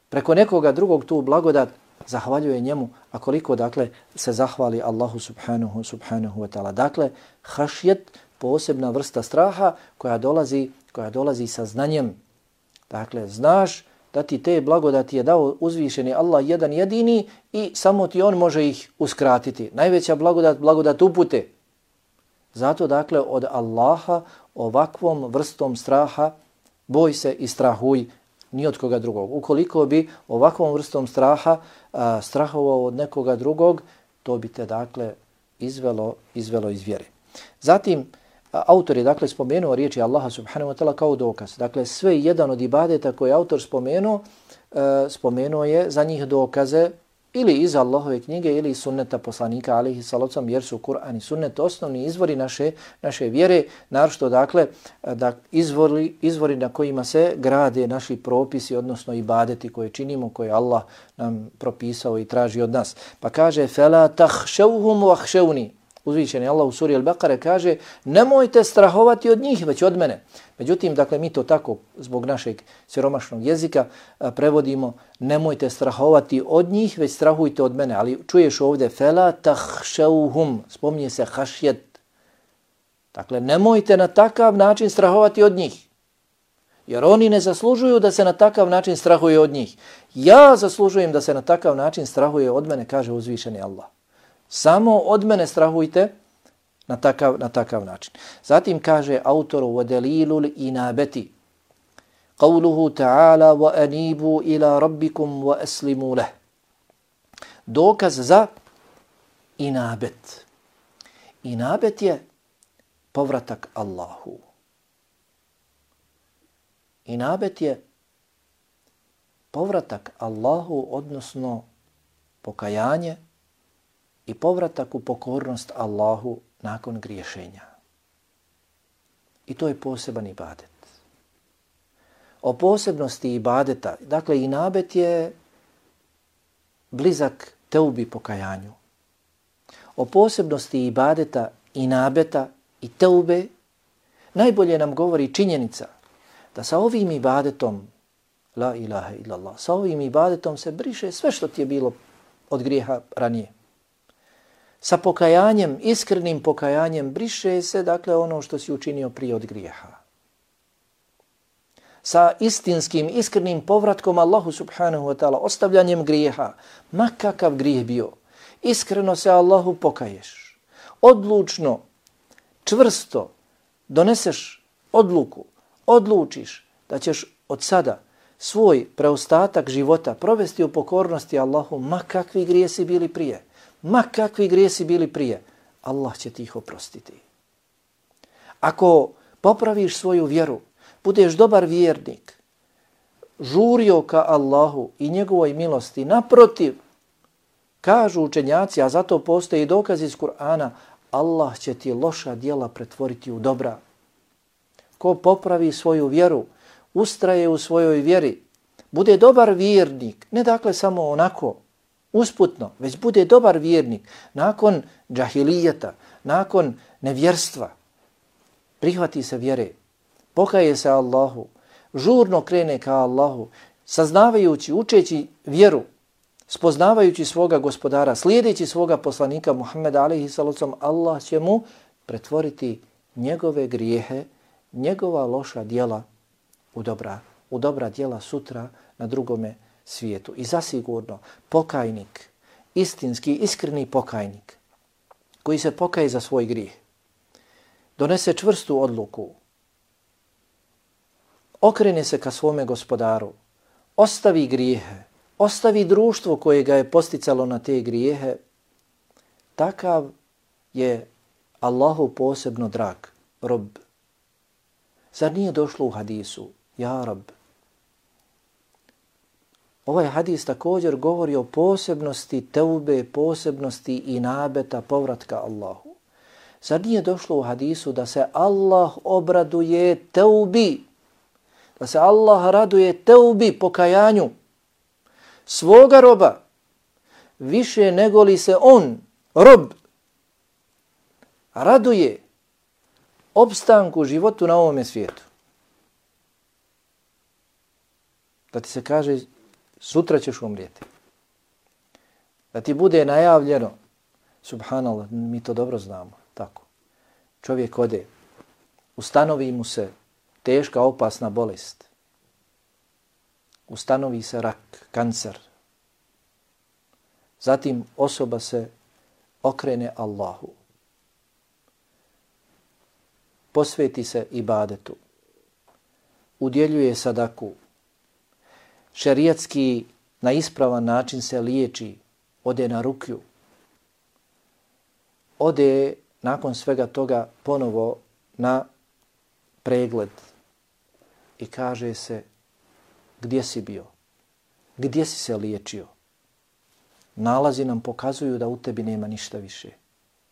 preko nekoga drugog tu blagodat, zahvaljuje njemu, a koliko dakle se zahvali Allahu subhanahu subhanahu wa ta'ala. Dakle, hašjet, posebna vrsta straha koja dolazi, koja dolazi sa znanjem. Dakle, znaš da ti te blagodati je dao uzvišeni Allah jedan jedini i samo ti on može ih uskratiti. Najveća blagodat, blagodat upute. Zato dakle od Allaha ovakvom vrstom straha boj se i strahuj, ni od koga drugog. Ukoliko bi ovakvom vrstom straha a, strahovao od nekoga drugog, to bi te dakle izvelo, izvelo iz vjere. Zatim, a, autor je dakle spomenuo riječi Allaha subhanahu wa ta'ala kao dokaz. Dakle, sve jedan od ibadeta koje je autor spomenuo, a, spomenuo je za njih dokaze ili iz Allahove knjige ili iz sunneta poslanika alejhi salatu jer su Kur'an i sunnet osnovni izvori naše naše vjere, naročito dakle da izvori izvori na kojima se grade naši propisi, odnosno ibadeti koje činimo, koje Allah nam propisao i traži od nas. Pa kaže fala takhshawhum wakhshawni. Uzvišeni Allah u suri Al-Baqara kaže nemojte strahovati od njih, već od mene. Međutim, dakle, mi to tako zbog našeg siromašnog jezika a, prevodimo nemojte strahovati od njih, već strahujte od mene. Ali čuješ ovdje fela takhshawhum, spominje se hašjet. Dakle, nemojte na takav način strahovati od njih. Jer oni ne zaslužuju da se na takav način strahuje od njih. Ja zaslužujem da se na takav način strahuje od mene, kaže uzvišeni Allah. Samo od mene strahujte na takav, na takav način. Zatim kaže autor وَدَلِيلُ الْإِنَابَةِ قَوْلُهُ تَعَالَى وَأَنِيبُوا إِلَى رَبِّكُمْ وَأَسْلِمُوا لَهُ. Dokaz za inabet. Inabet je povratak Allahu. Inabet je povratak Allahu, odnosno pokajanje i povratak u pokornost Allahu nakon griješenja. I to je poseban ibadet. O posebnosti ibadeta, dakle inabet je blizak teubi pokajanju. O posebnosti ibadeta, inabeta i teube najbolje nam govori činjenica da sa ovim ibadetom, la ilaha illallah, sa ovim ibadetom se briše sve što ti je bilo od grijeha ranije. Sa pokajanjem, iskrenim pokajanjem, briše se dakle ono što si učinio prije od grijeha. Sa istinskim, iskrenim povratkom Allahu subhanahu wa ta'ala, ostavljanjem grijeha, ma kakav grijeh bio, iskreno se Allahu pokaješ. Odlučno, čvrsto doneseš odluku, odlučiš da ćeš od sada svoj preostatak života provesti u pokornosti Allahu, ma kakvi grijesi bili prije, ma kakvi grijesi bili prije, Allah će ti ih oprostiti. Ako popraviš svoju vjeru, budeš dobar vjernik, žurio ka Allahu i njegovoj milosti, naprotiv, kažu učenjaci, a zato postoje i dokazi iz Kur'ana, Allah će ti loša djela pretvoriti u dobra. Ko popravi svoju vjeru, ustraje u svojoj vjeri, bude dobar vjernik, ne dakle samo onako, usputno, već bude dobar vjernik, nakon džahilijeta, nakon nevjerstva, prihvati se vjere, pokaje se Allahu, žurno krene ka Allahu, saznavajući, učeći vjeru, spoznavajući svoga gospodara, slijedeći svoga poslanika Muhammeda alejhi salatu, Allah će mu pretvoriti njegove grijehe, njegova loša djela u dobra, u dobra djela sutra na drugome svijetu. I zasigurno pokajnik, istinski, iskreni pokajnik, koji se pokaje za svoj grijeh, donese čvrstu odluku, okrene se ka svome gospodaru, ostavi grijehe, ostavi društvo koje ga je posticalo na te grijehe, takav je Allahu posebno drag rob. Zar nije došlo u hadisu, ja rob? Ovaj hadis također govori o posebnosti teube, posebnosti i nabeta povratka Allahu. Zar nije došlo u hadisu da se Allah obraduje teubi, da se Allah raduje teubi, pokajanju svoga roba, više nego li se on, rob, raduje opstanku životu na ovome svijetu. Da ti se kaže, sutra ćeš umrijeti. Da ti bude najavljeno, subhanallah, mi to dobro znamo, tako. Čovjek ode, ustanovi mu se teška, opasna bolest. Ustanovi se rak, kancer. Zatim osoba se okrene Allahu. Posveti se ibadetu. Udjeljuje sadaku. Šerijatski na ispravan način se liječi. Ode na rukju. Ode nakon svega toga ponovo na pregled. I kaže se, gdje si bio? Gdje si se liječio? Nalazi nam pokazuju da u tebi nema ništa više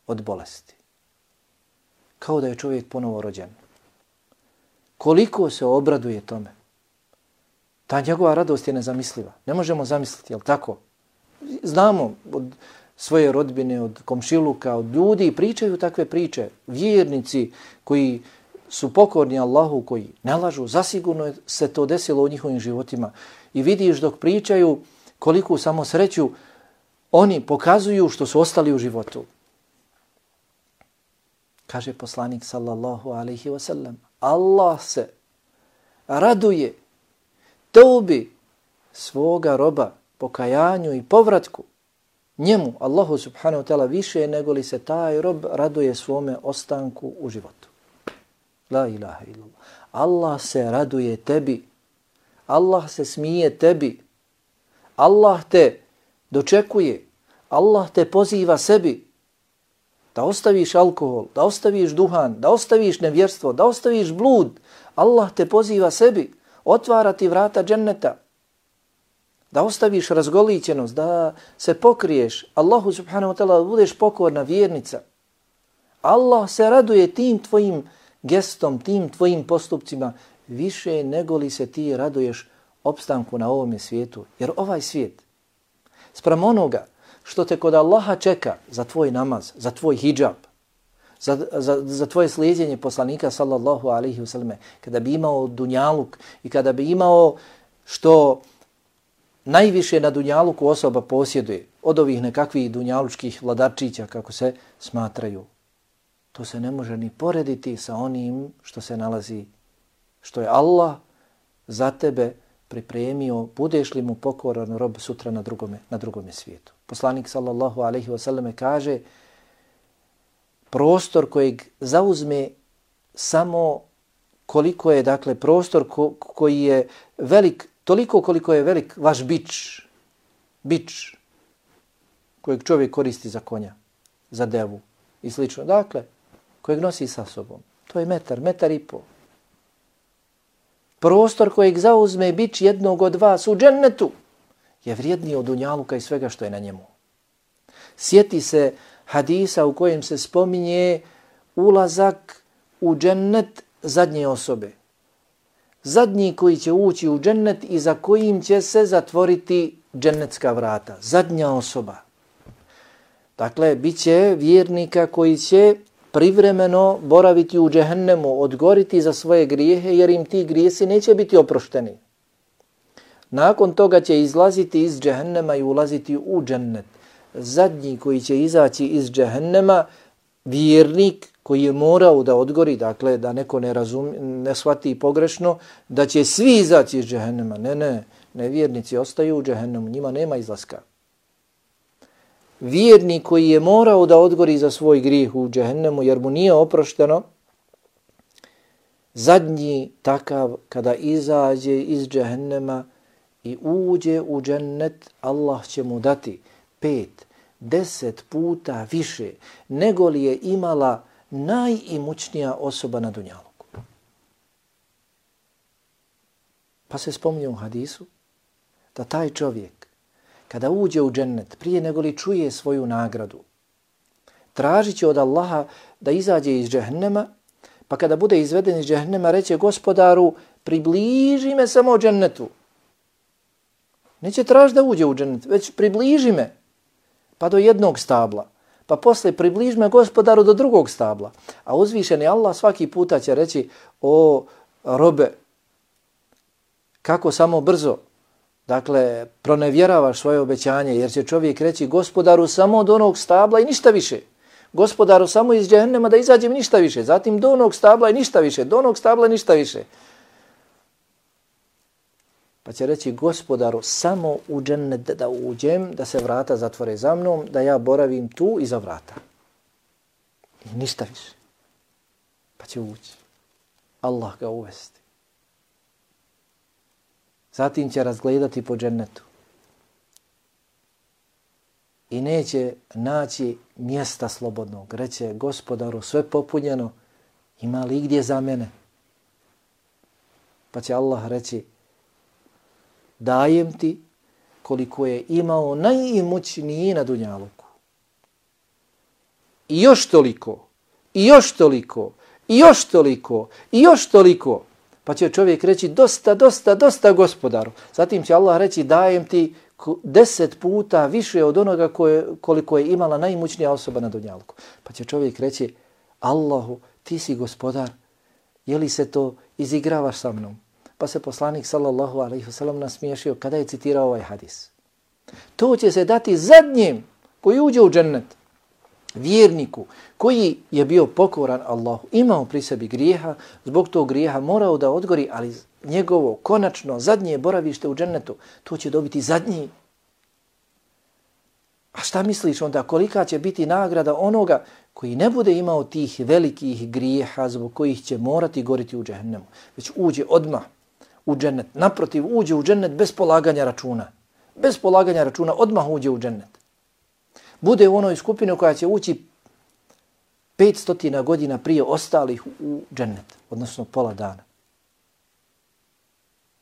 od bolesti. Kao da je čovjek ponovo rođen. Koliko se obraduje tome. Ta njegova radost je nezamisliva. Ne možemo zamisliti, jel tako? Znamo od svoje rodbine, od komšiluka, od ljudi, pričaju takve priče. Vjernici koji su pokorni Allahu, koji ne lažu, zasigurno se to desilo u njihovim životima. I vidiš dok pričaju koliku samo sreću oni pokazuju što su ostali u životu. Kaže poslanik sallallahu alaihi wa sallam, Allah se raduje teubi svoga roba, pokajanju i povratku njemu, Allahu subhanahu wa ta'ala, više nego li se taj rob raduje svome ostanku u životu. La ilaha illallah. Allah se raduje tebi. Allah se smije tebi. Allah te dočekuje. Allah te poziva sebi da ostaviš alkohol, da ostaviš duhan, da ostaviš nevjerstvo, da ostaviš blud. Allah te poziva sebi. Otvara ti vrata dženneta. Da ostaviš razgolićenost, da se pokriješ. Allahu subhanahu wa ta'ala, da budeš pokorna vjernica. Allah se raduje tim tvojim gestom, tim tvojim postupcima više nego li se ti raduješ opstanku na ovome svijetu. Jer ovaj svijet, sprem onoga što te kod Allaha čeka za tvoj namaz, za tvoj hidžab, za, za, za tvoje slijedjenje poslanika sallallahu alaihi wasallam, kada bi imao dunjaluk i kada bi imao što najviše na dunjaluku osoba posjeduje, od ovih nekakvih dunjalučkih vladarčića kako se smatraju, to se ne može ni porediti sa onim što se nalazi, što je Allah za tebe pripremio, budeš li mu pokoran rob sutra na drugome, na drugome svijetu. Poslanik sallallahu alaihi wasallam kaže, prostor kojeg zauzme samo koliko je, dakle, prostor ko, koji je velik toliko koliko je velik vaš bič, bič kojeg čovjek koristi za konja, za devu i slično. Dakle, kojeg nosi sa sobom. To je metar, metar i pol. Prostor kojeg zauzme bič jednog od vas u džennetu je vrijedniji od dunjaluka i svega što je na njemu. Sjeti se hadisa u kojem se spominje ulazak u džennet zadnje osobe. Zadnji koji će ući u džennet i za kojim će se zatvoriti džennetska vrata. Zadnja osoba. Dakle, bit će vjernika koji će privremeno boraviti u džehennemu, odgoriti za svoje grijehe, jer im ti grijesi neće biti oprošteni. Nakon toga će izlaziti iz džehennema i ulaziti u džennet. Zadnji koji će izaći iz džehennema, vjernik koji je morao da odgori, dakle da neko ne razumi, ne shvati pogrešno, da će svi izaći iz džehennema. Ne, ne, nevjernici ostaju u džehennemu, njima nema izlaska. Vjernik koji je morao da odgori za svoj grijeh u džehennemu jer mu nije oprošteno, zadnji takav kada izađe iz džehennema i uđe u džennet, Allah će mu dati pet, deset puta više nego li je imala najimućnija osoba na dunjaluku. Pa se spominje u hadisu da taj čovjek kada uđe u džennet, prije nego li čuje svoju nagradu, tražit će od Allaha da izađe iz džehennema, pa kada bude izveden iz džehennema, reće Gospodaru, približi me samo džennetu. Neće tražiti da uđe u džennet, već približi me, pa do jednog stabla. Pa posle približi me Gospodaru do drugog stabla. A uzvišeni Allah svaki puta će reći, o robe, kako samo brzo, dakle, pronevjeravaš svoje obećanje, jer će čovjek reći Gospodaru samo do onog stabla i ništa više. Gospodaru samo iz džehennema da izađem ništa više. Zatim do onog stabla i ništa više. Do onog stabla i ništa više. Pa će reći Gospodaru samo u džennet da uđem, da se vrata zatvore za mnom, da ja boravim tu iza vrata. I ništa više. Pa će ući. Allah ga uvesti. Zatim će razgledati po džennetu. I neće naći mjesta slobodnog. Reće Gospodaru, sve popunjeno, ima li gdje za mene? Pa će Allah reći, dajem ti koliko je imao najimućniji na dunjaluku. I još toliko, i još toliko, i još toliko, i još toliko. Pa će čovjek reći dosta, dosta, dosta Gospodaru. Zatim će Allah reći dajem ti deset puta više od onoga koje, koliko je imala najimućnija osoba na dunjalku. Pa će čovjek reći Allahu, ti si Gospodar, je li se to izigravaš sa mnom? Pa se poslanik sallallahu alejhi ve sellem nasmiješio kada je citirao ovaj hadis. To će se dati zadnjem koji uđe u džennet. Vjerniku koji je bio pokoran Allahu, imao pri sebi grijeha, zbog tog grijeha morao da odgori, ali njegovo konačno zadnje boravište u džennetu, to će dobiti zadnji. A šta misliš onda, kolika će biti nagrada onoga koji ne bude imao tih velikih grijeha zbog kojih će morati goriti u džehennemu, već uđe odmah u džennet. Naprotiv, uđe u džennet bez polaganja računa. Bez polaganja računa odmah uđe u džennet. Bude u onoj skupini koja će ući petstotina godina prije ostalih u džennet, odnosno pola dana.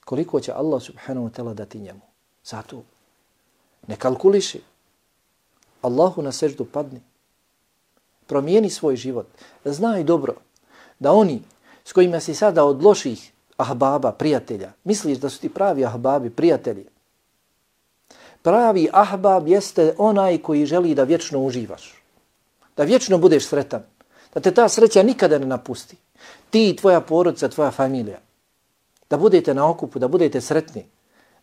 Koliko će Allah subhanahu wa ta'ala dati njemu? Zato ne kalkuliši. Allahu na seždu padni. Promijeni svoj život. Znaj dobro da oni s kojima si sada od loših ahbaba, prijatelja, misliš da su ti pravi ahbabi, prijatelji. Pravi ahbab jeste onaj koji želi da vječno uživaš. Da vječno budeš sretan. Da te ta sreća nikada ne napusti. Ti i tvoja porodica, tvoja familija. Da budete na okupu, da budete sretni.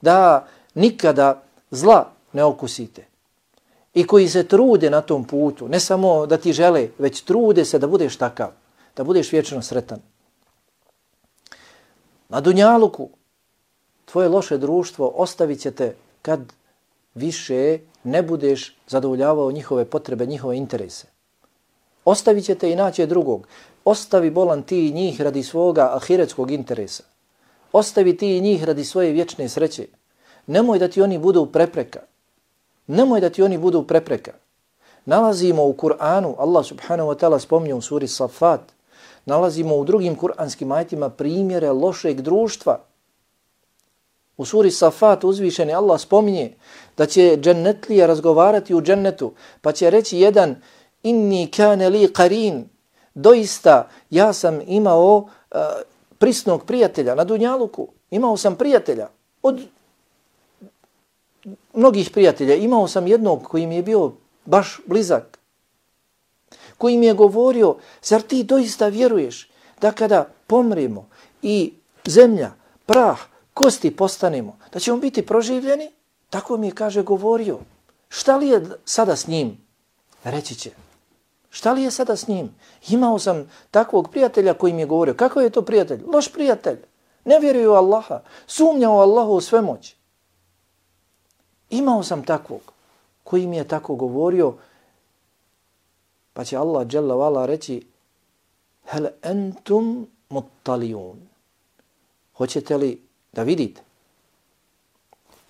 Da nikada zla ne okusite. I koji se trude na tom putu. Ne samo da ti žele, već trude se da budeš takav. Da budeš vječno sretan. Na dunjaluku tvoje loše društvo ostavit će te kad više ne budeš zadovoljavao njihove potrebe, njihove interese. Ostavit će te i naći drugog. Ostavi bolan ti i njih radi svoga ahiretskog interesa. Ostavi ti i njih radi svoje vječne sreće. Nemoj da ti oni budu prepreka. Nemoj da ti oni budu prepreka. Nalazimo u Kur'anu, Allah subhanahu wa ta'ala spominje u suri Safat, nalazimo u drugim kur'anskim ajetima primjere lošeg društva. U suri Safat uzvišeni Allah spominje da će džennetlije razgovarati u džennetu, pa će reći jedan inni kane li qarin, doista ja sam imao uh, prisnog prijatelja na dunjaluku, imao sam prijatelja od mnogih prijatelja, imao sam jednog koji mi je bio baš blizak, koji mi je govorio, zar ti doista vjeruješ da kada pomremo i zemlja, prah, kosti postanemo, da ćemo biti proživljeni? Tako mi je, kaže, govorio. Šta li je sada s njim? Reći će. Šta li je sada s njim? Imao sam takvog prijatelja koji mi je govorio. Kako je to prijatelj? Loš prijatelj. Ne vjeruje u Allaha. Sumnja u Allahu u svemoć. Imao sam takvog koji mi je tako govorio. Pa će Allah dželle ve ala reći hel entum muttalijun. Hoćete li da vidite?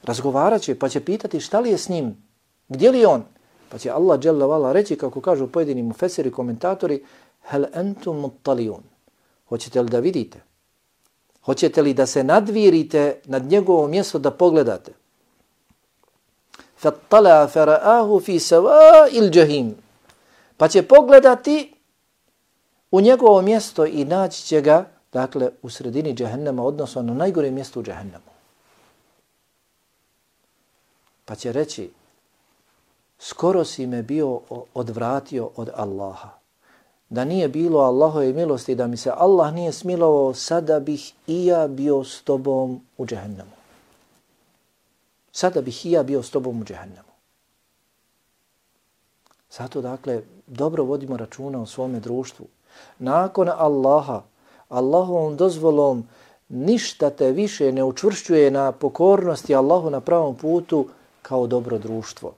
Razgovarat će, pa će pitati šta li je s njim? Gdje li je on? Pa će Allah dželle ve ala reći, kako kažu pojedini mufesiri komentatori, hel entum muttalijun. Hoćete li da vidite? Hoćete li da se nadvirite nad njegovo mjesto da pogledate? Fattala fara'ahu fi sawa'il jahim. Pa će pogledati u njegovo mjesto i naći će ga, dakle, u sredini džehennema, odnosno na najgore mjesto u džehennemu. Pa će reći, skoro si me bio odvratio od Allaha. Da nije bilo Allahove milosti, da mi se Allah nije smilovao, sada bih i ja bio s tobom u džehennemu. Sada bih i ja bio s tobom u džehennemu. Zato, dakle, dobro vodimo računa o svome društvu. Nakon Allaha, Allahovom dozvolom, ništa te više ne učvršćuje na pokornosti Allahu na pravom putu kao dobro društvo.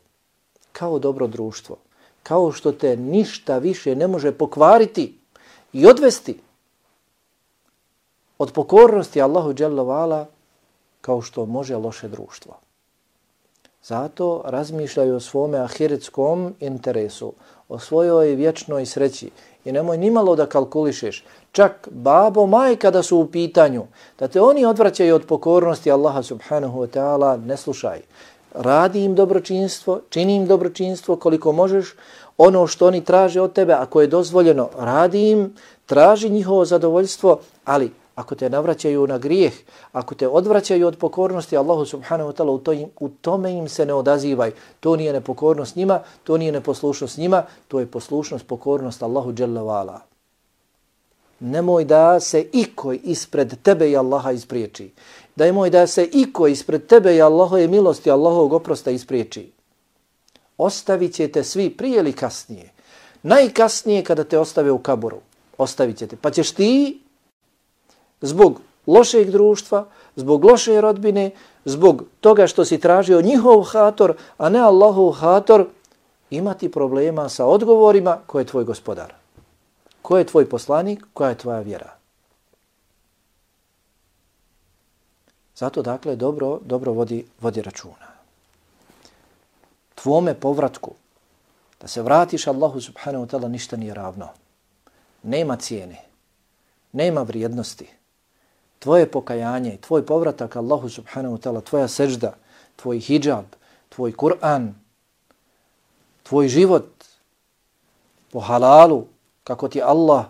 Kao dobro društvo. Kao što te ništa više ne može pokvariti i odvesti od pokornosti Allahu dželle ve ala kao što može loše društvo. Zato razmišljaju o svome ahiretskom interesu, o svojoj vječnoj sreći i nemoj nimalo da kalkulišeš, čak babo, majka da su u pitanju, da te oni odvraćaju od pokornosti Allaha subhanahu wa ta'ala, ne slušaj. Radi im dobročinstvo, čini im dobročinstvo koliko možeš, ono što oni traže od tebe, ako je dozvoljeno, radi im, traži njihovo zadovoljstvo, ali ako te navraćaju na grijeh, ako te odvraćaju od pokornosti Allahu subhanahu wa ta'ala, u, to u tome im se ne odazivaj. To nije nepokornost njima, to nije neposlušnost njima, to je poslušnost, pokornost Allahu dželle ve ala. Nemoj da se ikoj ispred tebe i Allaha ispriječi. Nemoj da se ikoj ispred tebe i Allahove milosti, Allahovog oprosta ispriječi. Ostavit ćete svi prije ili kasnije. Najkasnije kada te ostave u kaboru. Ostavit ćete. Pa ćeš ti zbog lošeg društva, zbog loše rodbine, zbog toga što si tražio njihov hator, a ne Allahov hator, imati problema sa odgovorima ko je tvoj gospodar. Ko je tvoj poslanik, koja je tvoja vjera. Zato, dakle, dobro, dobro vodi, vodi računa. Tvome povratku, da se vratiš Allahu subhanahu wa ta'ala, ništa nije ravno. Nema cijene, nema vrijednosti. Tvoje pokajanje, tvoj povratak Allahu subhanahu wa ta'ala, tvoja sežda, tvoj hijab, tvoj Kur'an, tvoj život po halalu, kako ti Allah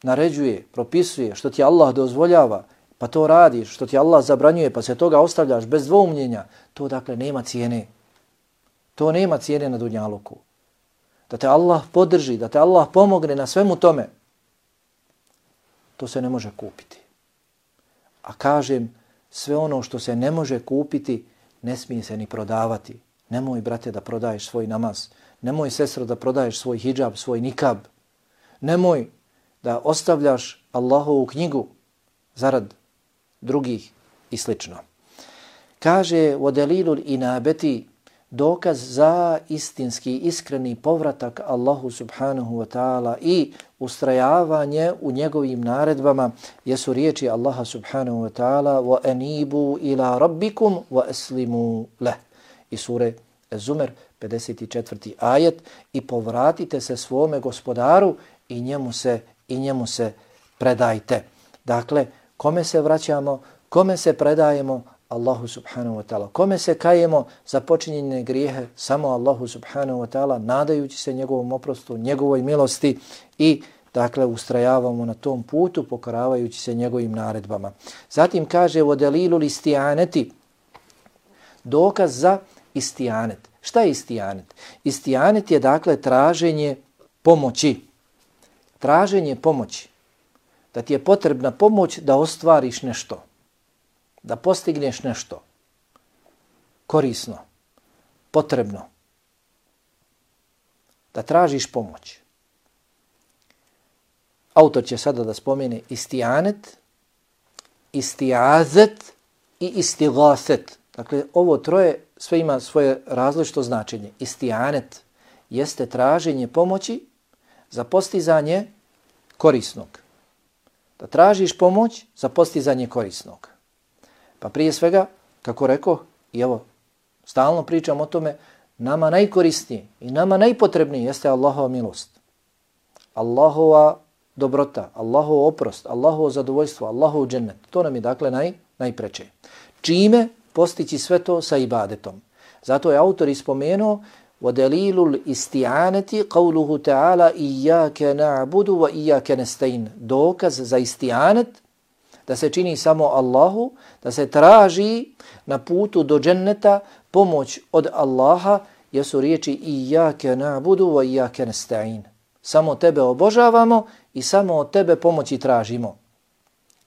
naređuje, propisuje, što ti Allah dozvoljava, pa to radiš, što ti Allah zabranjuje, pa se toga ostavljaš bez dvoumljenja, to, dakle, nema cijene. To nema cijene na dunjaluku. Da te Allah podrži, da te Allah pomogne na svemu tome, to se ne može kupiti. A kažem, sve ono što se ne može kupiti, ne smije se ni prodavati. Nemoj, brate, da prodaješ svoj namaz. Nemoj, sestro, da prodaješ svoj hijab, svoj nikab. Nemoj da ostavljaš Allahovu knjigu zarad drugih i slično. Kaže, وَدَلِيلُ الْإِنَابَةِ, dokaz za istinski, iskreni povratak Allahu subhanahu wa ta'ala i ustrajavanje u njegovim naredbama jesu riječi Allaha subhanahu wa ta'ala وَأَنِيبُوا إِلَىٰ رَبِّكُمْ وَأَسْلِمُوا لَهُ i sure Zumer pedeset četvrti ajet i povratite se svome gospodaru i njemu se i njemu se predajte. Dakle, kome se vraćamo, kome se predajemo? Allahu subhanahu wa ta'ala. Kome se kajemo za počinjene grijehe? Samo Allahu subhanahu wa ta'ala, nadajući se njegovom oprostu, njegovoj milosti i dakle ustrajavamo na tom putu pokoravajući se njegovim naredbama. Zatim kaže ودليل الاستعانة, dokaz za istianet. Šta je istianet? Istianet je dakle traženje pomoći. Traženje pomoći. Da ti je potrebna pomoć da ostvariš nešto. Da postigneš nešto korisno, potrebno. Da tražiš pomoć. Autor će sada da spomene istianet, istiazet i istigaset. Dakle, ovo troje sve ima svoje različito značenje. Istianet jeste traženje pomoći za postizanje korisnog. Da tražiš pomoć za postizanje korisnog. Pa prije svega, kako rekao, i evo, stalno pričam o tome, nama najkorisnije i nama najpotrebnije jeste Allahova milost. Allahova dobrota, Allahov oprost, Allahovo zadovoljstvo, Allahov džennet. To nam je dakle naj, najpreče. Čime postići sve to sa ibadetom? Zato je autor ispomenuo وَدَلِيلُ الْإِسْتِعَانَةِ قَوْلُهُ تَعَالَى إِيَّاكَ نَعْبُدُ وَإِيَّاكَ نَسْتَعِينُ. Dokaz za istianet, da se čini samo Allahu, da se traži na putu do dženneta pomoć od Allaha, jesu riječi إِيَّاكَ نَعْبُدُ وَإِيَّاكَ نَسْتَعِينُ. Samo tebe obožavamo i samo od tebe pomoći tražimo.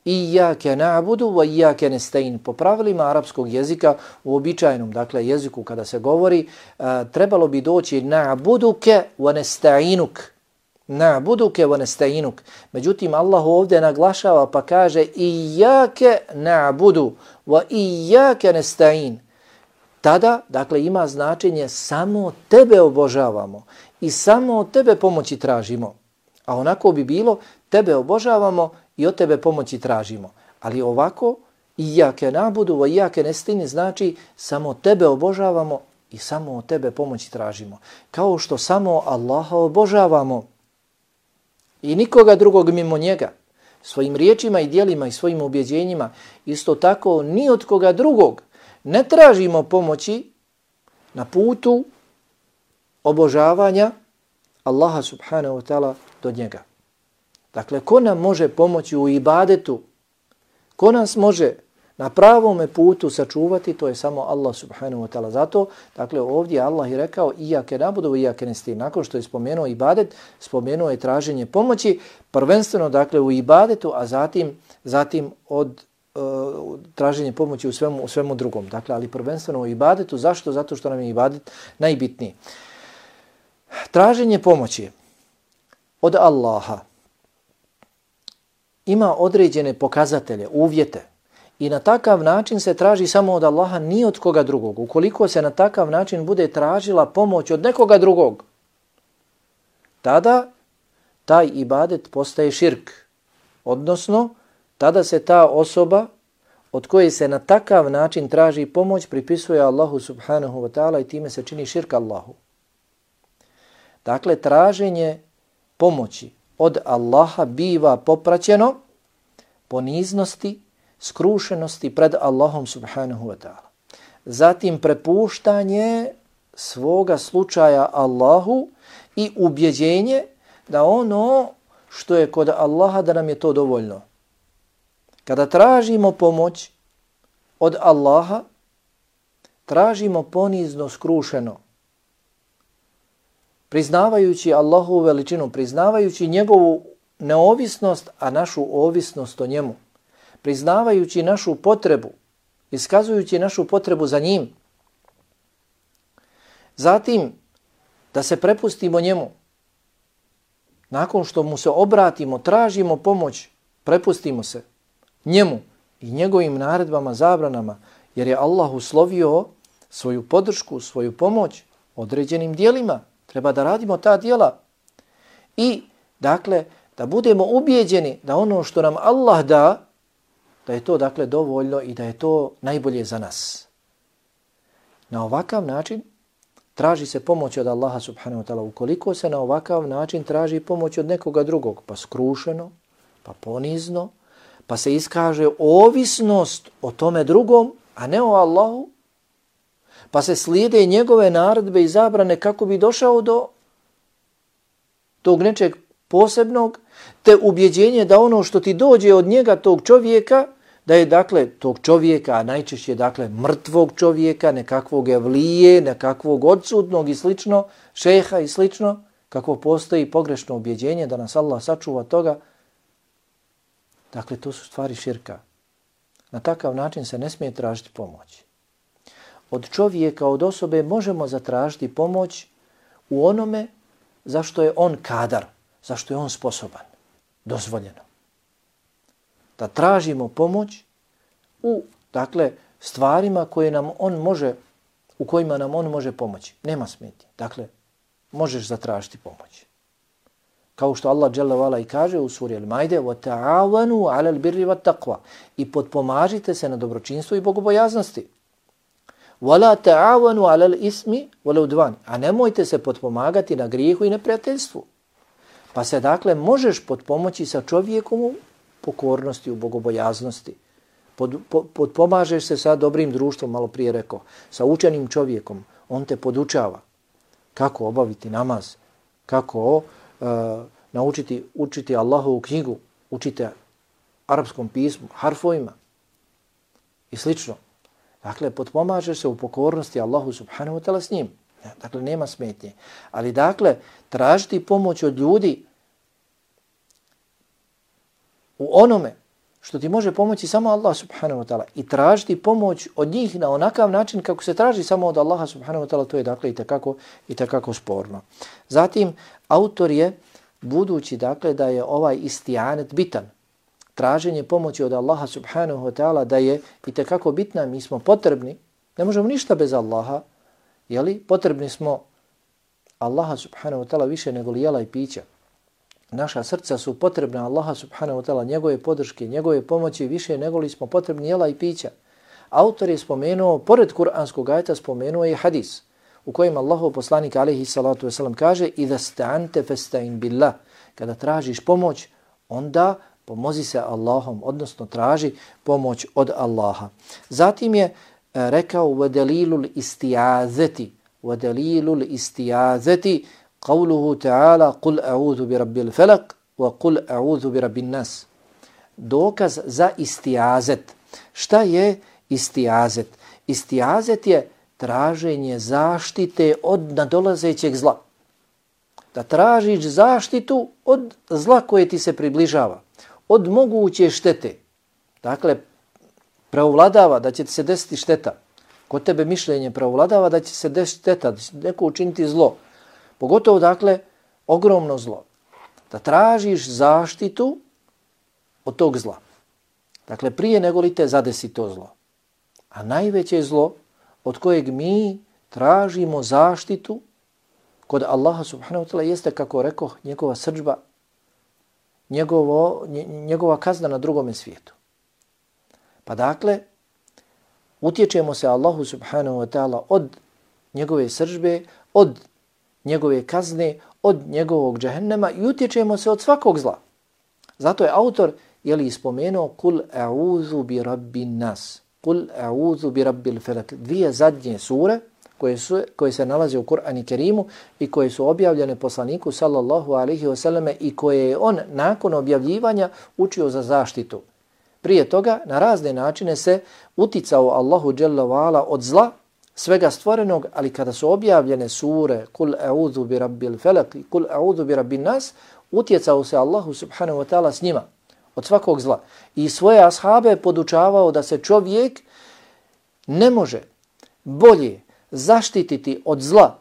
Iyake na'budu wa iyake nesta'in. Po pravilima arapskog jezika, u običajnom, dakle jeziku kada se govori, uh, trebalo bi doći na'buduke wa nesta'inuk. Na'buduke wa nesta'inuk. Međutim, Allah ovdje naglašava pa kaže iyake na'budu wa iyake nesta'in. Tada, dakle, ima značenje samo tebe obožavamo i samo od tebe pomoći tražimo. A onako bi bilo, tebe obožavamo i od tebe pomoći tražimo. Ali ovako, iyake na'budu wa iyake nesta'in znači samo tebe obožavamo i samo od tebe pomoći tražimo. Kao što samo Allaha obožavamo i nikoga drugog mimo njega, svojim riječima i djelima i svojim ubjeđenjima, isto tako ni od koga drugog ne tražimo pomoći na putu obožavanja Allaha subhanahu wa ta'ala do njega. Dakle, ko nam može pomoći u ibadetu, ko nas može na pravome putu sačuvati, to je samo Allah subhanahu wa ta'ala. Zato, dakle, ovdje Allah je rekao iyake na'budu wa iyake nesta'in. Nakon što je spomenuo ibadet, spomenuo je traženje pomoći, prvenstveno, dakle, u ibadetu, a zatim, zatim od uh, traženje pomoći u svemu, u svemu drugom. Dakle, ali prvenstveno u ibadetu. Zašto? Zato što nam je ibadet najbitniji. Traženje pomoći od Allaha ima određene pokazatelje, uvjete i na takav način se traži samo od Allaha, ni od koga drugog. Ukoliko se na takav način bude tražila pomoć od nekoga drugog, tada taj ibadet postaje širk. Odnosno, tada se ta osoba od koje se na takav način traži pomoć pripisuje Allahu subhanahu wa ta'ala i time se čini širk Allahu. Dakle, traženje pomoći od Allaha biva popraćeno poniznosti, skrušenosti pred Allahom subhanahu wa ta'ala. Zatim prepuštanje svoga slučaja Allahu i ubjeđenje da ono što je kod Allaha da nam je to dovoljno. Kada tražimo pomoć od Allaha, tražimo ponizno, skrušeno, priznavajući Allahovu veličinu, priznavajući njegovu neovisnost, a našu ovisnost o njemu, priznavajući našu potrebu, iskazujući našu potrebu za njim. Zatim, da se prepustimo njemu. Nakon što mu se obratimo, tražimo pomoć, prepustimo se njemu i njegovim naredbama, zabranama, jer je Allah uslovio svoju podršku, svoju pomoć određenim dijelima. Treba da radimo ta dijela. I, dakle, da budemo ubijeđeni da ono što nam Allah da, da je to, dakle, dovoljno i da je to najbolje za nas. Na ovakav način traži se pomoć od Allaha subhanahu wa ta'ala. Ukoliko se na ovakav način traži pomoć od nekoga drugog, pa skrušeno, pa ponizno, pa se iskaže ovisnost o tome drugom, a ne o Allahu, pa se slijede njegove naredbe i zabrane kako bi došao do tog nečeg posebnog, te ubjeđenje da ono što ti dođe od njega, tog čovjeka, da je, dakle, tog čovjeka, a najčešće, dakle, mrtvog čovjeka, nekakvog evlije, nekakvog odsutnog i slično, šeha i slično, kako postoji pogrešno ubjeđenje da nas Allah sačuva toga. Dakle, to su stvari širka. Na takav način se ne smije tražiti pomoć. Od čovjeka, od osobe možemo zatražiti pomoć u onome zašto je on kadar, zašto je on sposoban, dozvoljeno. Da tražimo pomoć u, dakle, stvarima koje nam on može, u kojima nam on može pomoći. Nema smetnje. Dakle, možeš zatražiti pomoć. Kao što Allah dželle ve ala i kaže u suri Al-Maide: "Wa ta'awanu 'alal birri wat taqwa." I potpomažite se na dobročinstvu i bogobojaznosti. "Wa la ta'awanu 'alal ismi wal 'udwan." A nemojte se potpomagati na grijehu i neprijateljstvu. Pa se, dakle, možeš potpomoći sa čovjekom u pokornosti, u bogobojaznosti. Pod, po, potpomažeš se sa dobrim društvom, malo prije rekao, sa učenim čovjekom. On te podučava kako obaviti namaz, kako uh, naučiti učiti Allahovu knjigu, učite arapskom pismu, harfovima i slično. Dakle, potpomažeš se u pokornosti Allahu subhanahu wa ta'ala s njim. Dakle, nema smetnje. Ali, dakle, tražiti pomoć od ljudi u onome što ti može pomoći samo Allah subhanahu wa ta'ala i tražiti pomoć od njih na onakav način kako se traži samo od Allaha subhanahu wa ta'ala, to je, dakle, i tekako, i tekako sporno. Zatim, autor je, budući, dakle, da je ovaj istianet bitan, traženje pomoći od Allaha subhanahu wa ta'ala, da je i tekako bitna, mi smo potrebni, ne možemo ništa bez Allaha, jeli? Potrebni smo Allaha subhanahu wa ta'ala više nego li jela i pića. Naša srca su potrebna Allaha subhanahu wa ta'ala, njegove podrške, njegove pomoći više nego li smo potrebni jela i pića. Autor je spomenuo, pored kuranskog ajeta, spomenuo je hadis u kojem Allahov poslanik alejhi salatu vesselam kaže: "Iza sta'ante fasta'in billah." Kada tražiš pomoć, onda pomozi se Allahom, odnosno traži pomoć od Allaha. Zatim je rekao: "Wa dalilul isti'azati, wa dalilul isti'azati qawluhu ta'ala qul a'udhu bi rabbil falaq wa qul a'udhu bi rabbin nas." Dokaz za isti'azet. Šta je isti'azet? Isti'azet je traženje zaštite od nadolazećeg zla. Da tražiš zaštitu od zla koje ti se približava, od moguće štete. Dakle, preovladava da će ti se desiti šteta. Kod tebe mišljenje preovladava da će se desiti šteta, da će neko učiniti zlo. Pogotovo, dakle, ogromno zlo. Da tražiš zaštitu od tog zla. Dakle, prije nego li te zadesi to zlo. A najveće zlo od kojeg mi tražimo zaštitu kod Allaha subhanahu wa ta'ala jeste, kako rekao, njegova srdžba, njegovo, njegova kazna na drugome svijetu. Pa dakle, utječemo se Allahu subhanahu wa ta'ala od njegove srdžbe, od njegove kazne, od njegovog džehennema i utječemo se od svakog zla. Zato je autor, je li, spomenuo kul a'udhu bi rabbin nas, kul a'udhu bi rabbil falak. Dvije zadnje sure koje, su, koje se nalaze u Kur'anu Kerimu i koje su objavljene poslaniku sallallahu alaihi wasallam i koje je on nakon objavljivanja učio za zaštitu. Prije toga na razne načine se uticao Allahu dželle ve ala od zla svega stvorenog, ali kada su objavljene sure kul a'udhu bi rabbil falak i kul a'udhu bi rabbin nas, utjecao se Allahu subhanahu wa ta'ala s njima od svakog zla. I svoje ashabe podučavao da se čovjek ne može bolje zaštititi od zla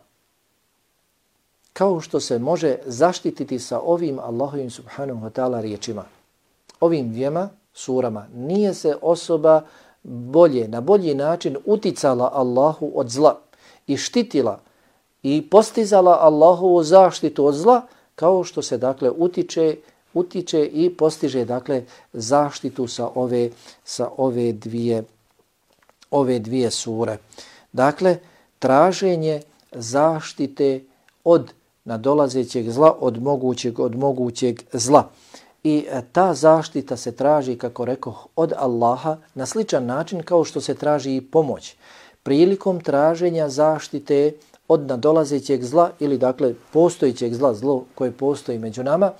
kao što se može zaštititi sa ovim Allahovim subhanahu wa ta'ala riječima. Ovim dvijema surama nije se osoba bolje, na bolji način uticala Allahu od zla i štitila i postizala Allahovu zaštitu od zla, kao što se dakle utiče, utiče i postiže dakle zaštitu sa ove, sa ove dvije, ove dvije sure. Dakle, traženje zaštite od nadolazećeg zla, od mogućeg, od mogućeg zla. I ta zaštita se traži, kako rekoh, od Allaha na sličan način kao što se traži i pomoć. Prilikom traženja zaštite od nadolazećeg zla ili dakle postojećeg zla, zlo koje postoji među nama,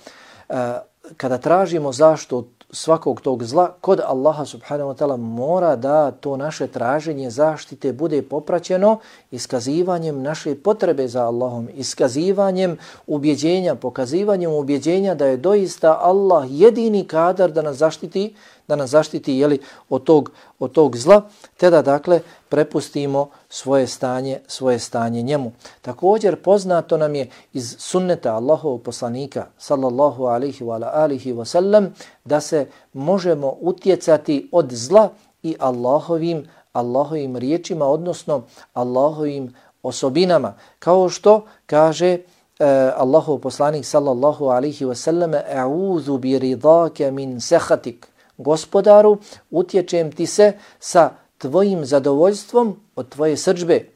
kada tražimo zaštitu od svakog tog zla, kod Allaha subhanahu wa ta'ala mora da to naše traženje zaštite bude popraćeno iskazivanjem naše potrebe za Allahom, iskazivanjem ubjeđenja, pokazivanjem ubjeđenja da je doista Allah jedini kadar da nas zaštiti, da nas zaštiti jeli, od, tog, od tog zla, te da dakle prepustimo svoje stanje, svoje stanje njemu. Također poznato nam je iz sunneta Allahovog poslanika sallallahu alaihi wa alihi wa sallam da se možemo utjecati od zla i Allahovim, Allahovim riječima, odnosno Allahovim osobinama. Kao što kaže Uh, Allahov poslanik sallallahu alaihi wa sallam, a'udhu bi ridake min sehatik. Gospodaru, utječem ti se sa tvojim zadovoljstvom od tvoje srdžbe.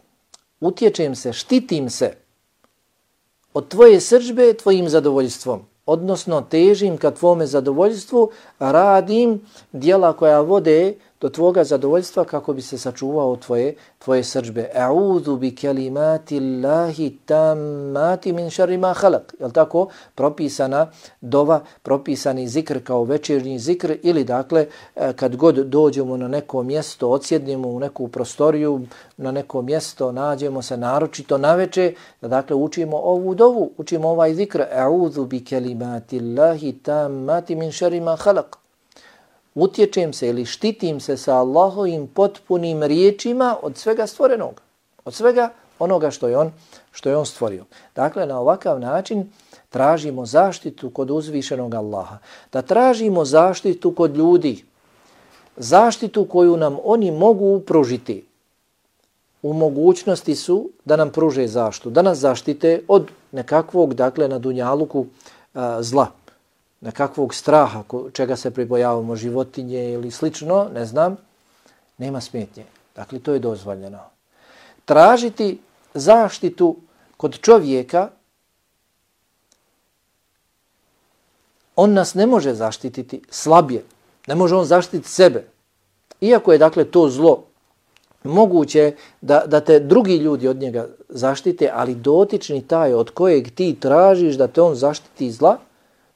Utječem se, štitim se od tvoje srdžbe tvojim zadovoljstvom. Odnosno, težim ka tvome zadovoljstvu, radim djela koja vode do tvoga zadovoljstva kako bi se sačuvao tvoje, tvoje srdžbe. A'udhu bi kalimati Allahi tammati min šarri ma khalaq. Je li tako? Propisana dova, propisani zikr kao večernji zikr ili dakle kad god dođemo na neko mjesto, odsjednemo u neku prostoriju, na neko mjesto, nađemo se naročito naveče, da dakle učimo ovu dovu, učimo ovaj zikr. A'udhu bi kalimati Allahi tammati min šarri ma khalaq. Utječem se ili štitim se sa Allahovim potpunim riječima od svega stvorenog, od svega onoga što je on, što je on stvorio. Dakle, na ovakav način tražimo zaštitu kod uzvišenog Allaha. Da tražimo zaštitu kod ljudi, zaštitu koju nam oni mogu pružiti. U mogućnosti su da nam pruže zaštitu, da nas zaštite od nekakvog, dakle, na dunjaluku a, zla. Nekakvog straha, čega se pribojavamo, životinje ili slično, ne znam, nema smetnje. Dakle, to je dozvoljeno. Tražiti zaštitu kod čovjeka, on nas ne može zaštititi slabije. Ne može on zaštititi sebe. Iako je, dakle, to zlo moguće da, da te drugi ljudi od njega zaštite, ali dotični taj od kojeg ti tražiš da te on zaštiti zla,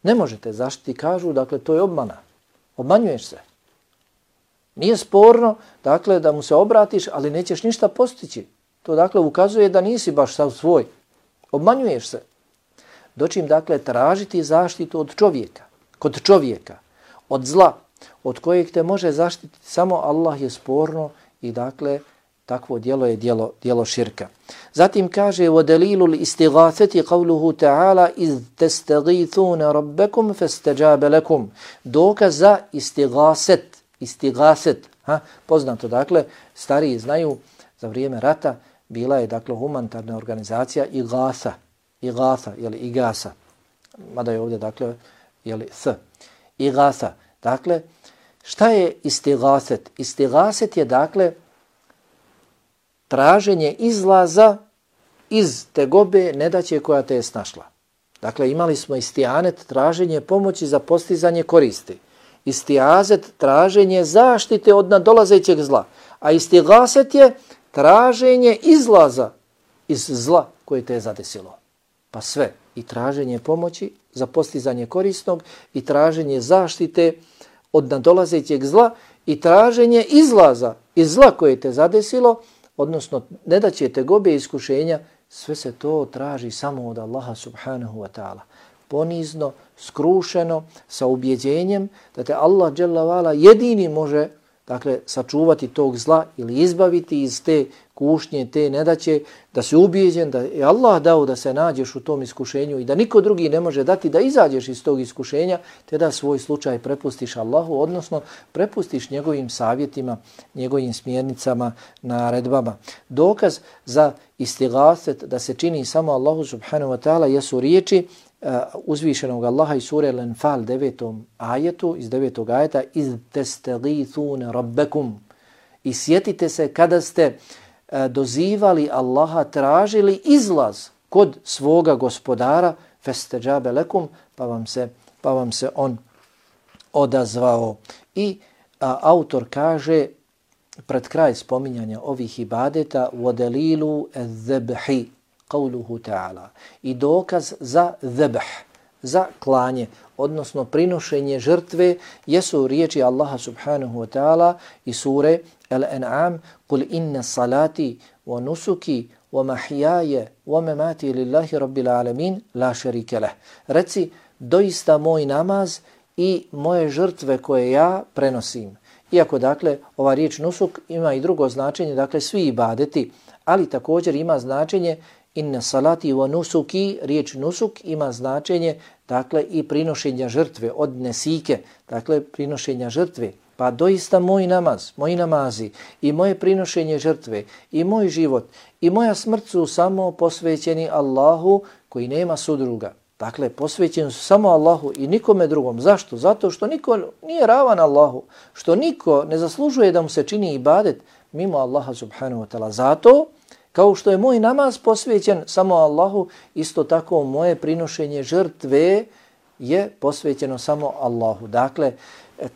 ne možete zaštiti, kažu, dakle, to je obmana. Obmanjuješ se. Nije sporno, dakle, da mu se obratiš, ali nećeš ništa postići. To, dakle, ukazuje da nisi baš sav svoj. Obmanjuješ se. Dočim, dakle, tražiti zaštitu od čovjeka, kod čovjeka, od zla, od kojeg te može zaštititi samo Allah, je sporno i, dakle, takvo djelo je djelo, djelo širka. Zatim kaže وَدَلِيلُ الْإِسْتِغَاثَةِ قَوْلُهُ تَعَالَى إِذْ تَسْتَغِيثُونَ رَبَّكُمْ فَاسْتَجَابَ لَكُمْ. Dokaz za istigaset, istigaset, ha, poznato, dakle, stariji znaju, za vrijeme rata bila je, dakle, humanitarna organizacija Igasa, Igasa, jeli, Igasa, mada je ovdje, dakle, jeli, S, Igasa. Dakle, šta je istigaset? Istigaset je, dakle, traženje izlaza iz tegobe nedaće koja te je snašla. Dakle, imali smo istianet, traženje pomoći za postizanje koristi. Istiazet, traženje zaštite od nadolazećeg zla. A istigaset je traženje izlaza iz zla koje te je zadesilo. Pa sve, i traženje pomoći za postizanje korisnog, i traženje zaštite od nadolazećeg zla, i traženje izlaza iz zla koje te zadesilo, odnosno ne da će tegobe i iskušenja, sve se to traži samo od Allaha subhanahu wa ta'ala. Ponizno, skrušeno, sa ubjeđenjem da te Allah dželle vala jedini može, dakle, sačuvati tog zla ili izbaviti iz te kušnje, te nedaće, da se ubijeđen da je Allah dao da se nađeš u tom iskušenju i da niko drugi ne može dati da izađeš iz tog iskušenja, te da svoj slučaj prepustiš Allahu, odnosno prepustiš njegovim savjetima, njegovim smjernicama, naredbama. Dokaz za istigaset da se čini samo Allahu subhanahu wa ta'ala jesu riječi uh, uzvišenog Allaha iz sure Al-Anfal devetom ajetu, iz devetog ajeta, iz testagithune rabbekum. I sjetite se kada ste uh, dozivali Allaha, tražili izlaz kod svoga gospodara, festeđabe lekum, pa vam se, pa vam se on odazvao. I uh, autor kaže, pred kraj spominjanja ovih ibadeta, وَدَلِيلُ الذَّبْحِ قَوْلُهُ تَعَالَى. I dokaz za zebh, za klanje, odnosno prinošenje žrtve, jesu riječi Allaha subhanahu wa ta'ala i sure Al-An'am, قُلْ إِنَّ صَلَاتِي وَنُسُكِي وَمَحْيَايَ وَمَمَاتِي لِلَّهِ رَبِّ الْعَالَمِينَ لَا شَرِيكَ لَهُ. Reci, doista moj namaz i moje žrtve koje ja prenosim. Iako, dakle, ova riječ nusuk ima i drugo značenje, dakle, svi ibadeti, ali također ima značenje inna salati wa nusuki, riječ nusuk ima značenje, dakle, i prinošenja žrtve od nesike, dakle, prinošenja žrtve. Pa doista moj namaz, moji namazi i moje prinošenje žrtve i moj život i moja smrt su samo posvećeni Allahu koji nema sudruga. Dakle, posvećeni su samo Allahu i nikome drugom. Zašto? Zato što niko nije ravan Allahu, što niko ne zaslužuje da mu se čini ibadet mimo Allaha subhanahu wa ta'ala. Zato, kao što je moj namaz posvećen samo Allahu, isto tako moje prinošenje žrtve je posvećeno samo Allahu. Dakle,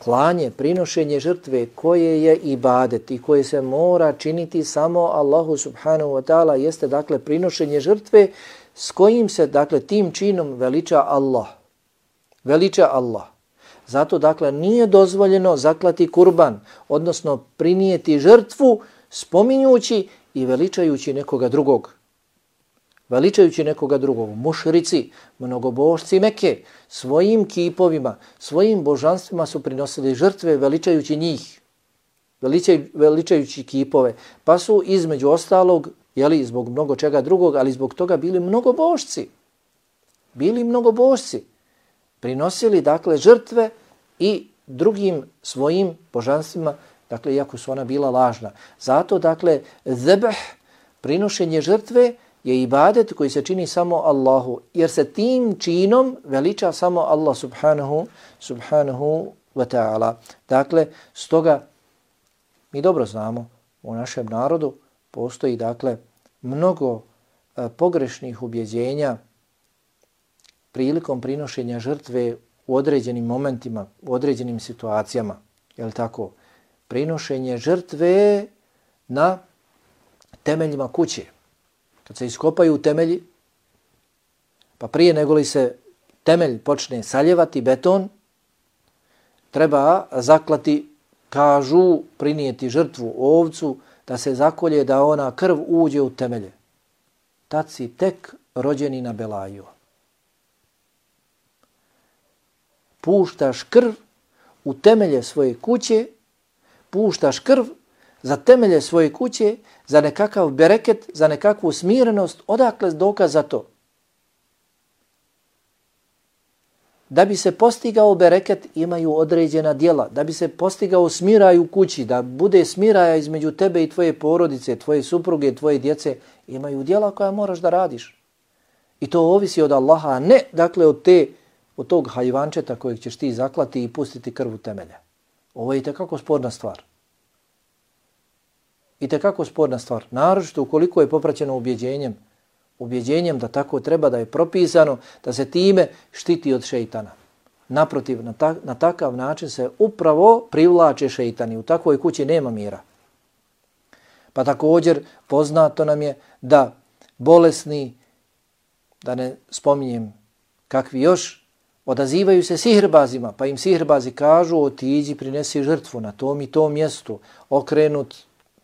klanje, prinošenje žrtve koje je ibadet i koje se mora činiti samo Allahu subhanahu wa ta'ala jeste, dakle, prinošenje žrtve s kojim se, dakle, tim činom veliča Allah. Veliča Allah. Zato, dakle, nije dozvoljeno zaklati kurban, odnosno prinijeti žrtvu spominjući i veličajući nekoga drugog. Veličajući nekoga drugog. Mušrici, mnogobožci Mekke, svojim kipovima, svojim božanstvima su prinosili žrtve veličajući njih. Veličaj, veličajući kipove. Pa su između ostalog, jeli, zbog mnogo čega drugog, ali zbog toga bili mnogobožci. Bili mnogobožci. Prinosili, dakle, žrtve i drugim svojim božanstvima, dakle, iako su ona bila lažna. Zato, dakle, zebh, prinošenje žrtve, je ibadet koji se čini samo Allahu, jer se tim činom veliča samo Allah subhanahu, subhanahu wa ta'ala. Dakle, stoga mi dobro znamo, u našem narodu postoji, dakle, mnogo e, pogrešnih ubjeđenja prilikom prinošenja žrtve u određenim momentima, u određenim situacijama. Je li tako? Prinošenje žrtve na temeljima kuće. Kad se iskopaju temelji, pa prije nego li se temelj počne saljevati, beton, treba zaklati, kažu, prinijeti žrtvu ovcu, da se zakolje, da ona krv uđe u temelje. Tad si tek rođeni na belaju. Puštaš krv u temelje svoje kuće, puštaš krv za temelje svoje kuće, za nekakav bereket, za nekakvu smirenost, odakle dokaz za to? Da bi se postigao bereket imaju određena djela, da bi se postigao smiraj u kući, da bude smiraja između tebe i tvoje porodice, tvoje supruge, tvoje djece, imaju djela koja moraš da radiš. I to ovisi od Allaha, a ne, dakle, od, te, od tog hajvančeta kojeg ćeš ti zaklati i pustiti krv u temelje. Ovo je itekako sporna stvar. Itekako sporna stvar. Naročito ukoliko je popraćeno ubjeđenjem, ubjeđenjem da tako treba, da je propisano, da se time štiti od šeitana. Naprotiv, na, ta, na takav način se upravo privlače šeitani. U takvoj kući nema mira. Pa također poznato nam je da bolesni, da ne spominjem kakvi još, odazivaju se sihrbazima, pa im sihrbazi kažu otiđi, prinesi žrtvu na tom i tom mjestu, okrenut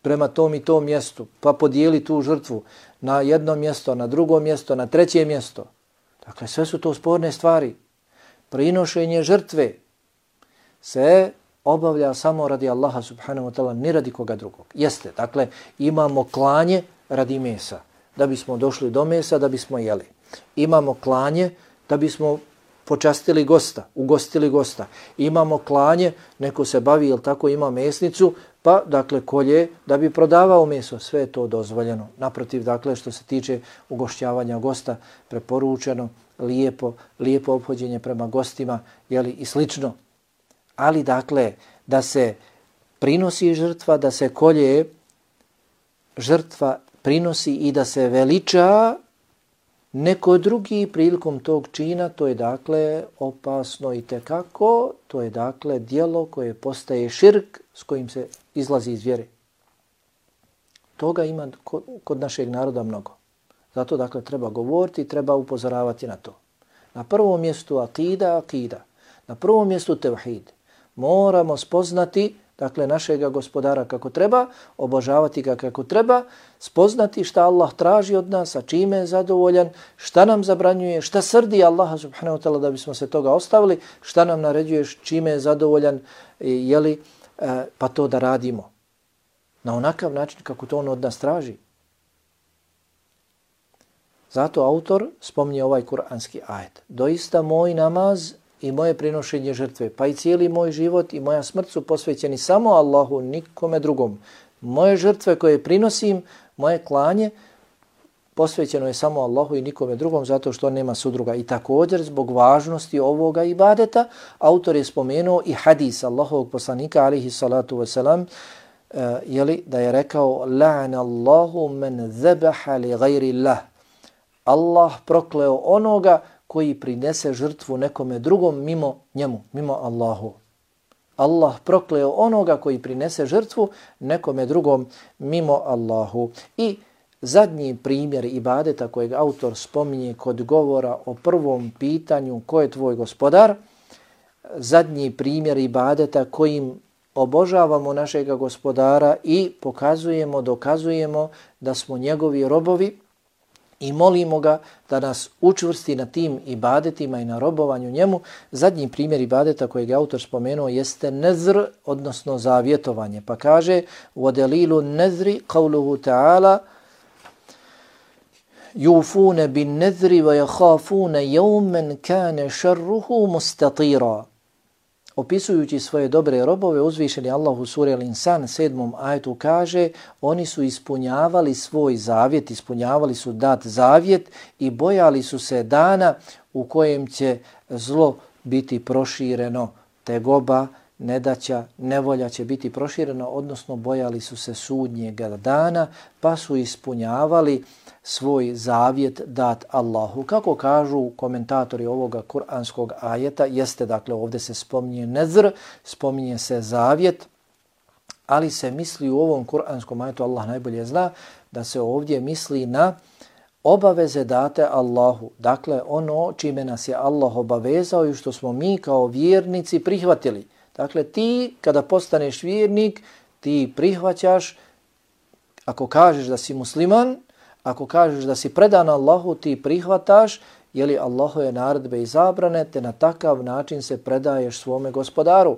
prema tom i tom mjestu, pa podijeli tu žrtvu na jedno mjesto, na drugo mjesto, na treće mjesto. Dakle, sve su to sporne stvari. Prinošenje žrtve se obavlja samo radi Allaha subhanahu wa ta'ala, ni radi koga drugog. Jeste, dakle, imamo klanje radi mesa, da bismo došli do mesa, da bismo jeli. Imamo klanje da bismo počastili gosta, ugostili gosta. Imamo klanje, neko se bavi, jel tako, ima mesnicu, pa, dakle, kolje da bi prodavao meso. Sve je to dozvoljeno. Naprotiv, dakle, što se tiče ugošćavanja gosta, preporučeno, lijepo, lijepo ophođenje prema gostima, jeli, i slično. Ali, dakle, da se prinosi žrtva, da se kolje žrtva prinosi i da se veliča neko drugi prilikom tog čina, to je dakle opasno i tekako, to je dakle djelo koje postaje širk s kojim se izlazi iz vjere. Toga ima kod našeg naroda mnogo. Zato dakle treba govoriti i treba upozoravati na to. Na prvom mjestu akida, akida. Na prvom mjestu tevhid. Moramo spoznati dakle našega gospodara kako treba, obožavati ga kako treba, spoznati šta Allah traži od nas, a čime je zadovoljan, šta nam zabranjuje, šta srdi Allaha subhanahu wa ta'ala da bismo se toga ostavili, šta nam naređuje, čime je zadovoljan, jeli, pa to da radimo. Na onakav način kako to on od nas traži. Zato autor spominje ovaj kuranski ajet. Doista moj namaz i moje prinošenje žrtve, pa i cijeli moj život i moja smrt su posvećeni samo Allahu, nikome drugom. Moje žrtve koje prinosim, moje klanje, posvećeno je samo Allahu i nikome drugom, zato što nema sudruga. I također, zbog važnosti ovoga ibadeta, autor je spomenuo i hadis Allahovog poslanika, alihi salatu wasalam, uh, jeli, da je rekao, la'ana Allahu men zebaha li gajri Allah. Allah prokleo onoga koji prinese žrtvu nekome drugom mimo njemu, mimo Allahu. Allah prokleo onoga koji prinese žrtvu nekome drugom mimo Allahu. I zadnji primjer ibadeta kojeg autor spominje kod govora o prvom pitanju ko je tvoj gospodar, zadnji primjer ibadeta kojim obožavamo našega gospodara i pokazujemo, dokazujemo da smo njegovi robovi, i molimo ga da nas učvrsti na tim ibadetima i na robovanju njemu. Zadnji primjer ibadeta kojeg je autor spomenuo jeste nezr, odnosno zavjetovanje. Pa kaže, وَدَلِيلُ النَّذْرِ قَوْلُهُ تَعَالَ يُوفُونَ بِالنَّذْرِ وَيَخَافُونَ يَوْمًا كَانَ شَرُّهُ مُسْتَطِيرًا. Opisujući svoje dobre robove, uzvišeni Allah u suri Al-Insan sedmom ajetu kaže, oni su ispunjavali svoj zavjet, ispunjavali su dat zavjet i bojali su se dana u kojem će zlo biti prošireno, tegoba, nedaća, nevolja će biti prošireno, odnosno bojali su se sudnjega dana, pa su ispunjavali svoj zavjet dat Allahu. Kako kažu komentatori ovoga kuranskog ajeta, jeste dakle ovdje se spominje nezr, spominje se zavjet, ali se misli u ovom kuranskom ajetu, Allah najbolje zna, da se ovdje misli na obaveze date Allahu. Dakle, ono čime nas je Allah obavezao i što smo mi kao vjernici prihvatili. Dakle, ti kada postaneš vjernik, ti prihvaćaš, ako kažeš da si musliman, ako kažeš da si predan Allahu, ti prihvataš, jeli Allahove naredbe i zabrane, te na takav način se predaješ svome gospodaru.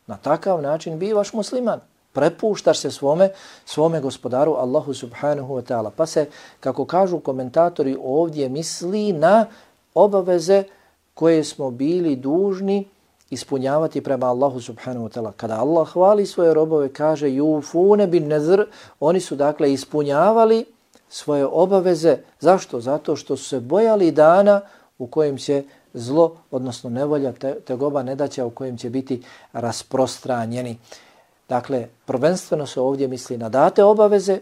Na takav način bivaš musliman. Prepuštaš se svome, svome gospodaru Allahu subhanahu wa ta'ala. Pa se, kako kažu komentatori, ovdje misli na obaveze koje smo bili dužni ispunjavati prema Allahu subhanahu wa ta'ala. Kada Allah hvali svoje robove, kaže yufune bin nazr, oni su dakle ispunjavali svoje obaveze. Zašto? Zato što su se bojali dana u kojem će zlo, odnosno nevolja, te, tegoba, nedaća u kojem će biti rasprostranjeni. Dakle, prvenstveno se ovdje misli na date obaveze,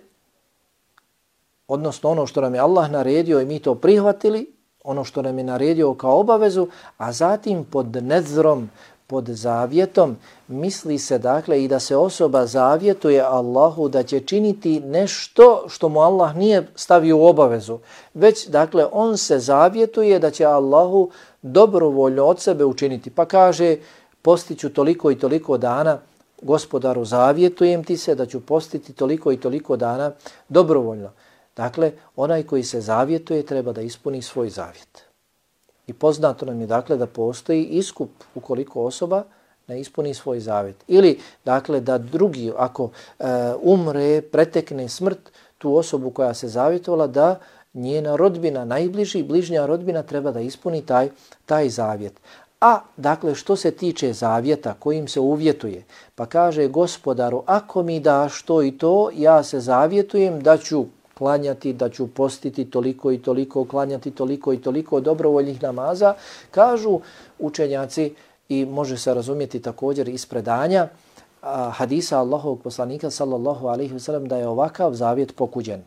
odnosno ono što nam je Allah naredio i mi to prihvatili, ono što nam je naredio kao obavezu, a zatim pod nezrom, pod zavjetom, misli se dakle i da se osoba zavjetuje Allahu da će činiti nešto što mu Allah nije stavio u obavezu. Već dakle on se zavjetuje da će Allahu dobrovoljno od sebe učiniti. Pa kaže, postiću toliko i toliko dana, gospodaru zavjetujem ti se da ću postiti toliko i toliko dana dobrovoljno. Dakle, onaj koji se zavjetuje treba da ispuni svoj zavjet. I poznato nam je dakle da postoji iskup ukoliko osoba ne ispuni svoj zavjet. Ili, dakle, da drugi, ako e, umre, pretekne smrt, tu osobu koja se zavjetovala, da njena rodbina, najbliži, bližnja rodbina treba da ispuni taj, taj zavjet. A, dakle, što se tiče zavjeta kojim se uvjetuje, pa kaže Gospodaru, ako mi daš to i to, ja se zavjetujem da ću klanjati, da ću postiti toliko i toliko, klanjati toliko i toliko dobrovoljnih namaza, kažu učenjaci i može se razumjeti također iz predanja a, hadisa Allahovog poslanika sallallahu alejhi ve sellem da je ovakav zavjet pokuđen.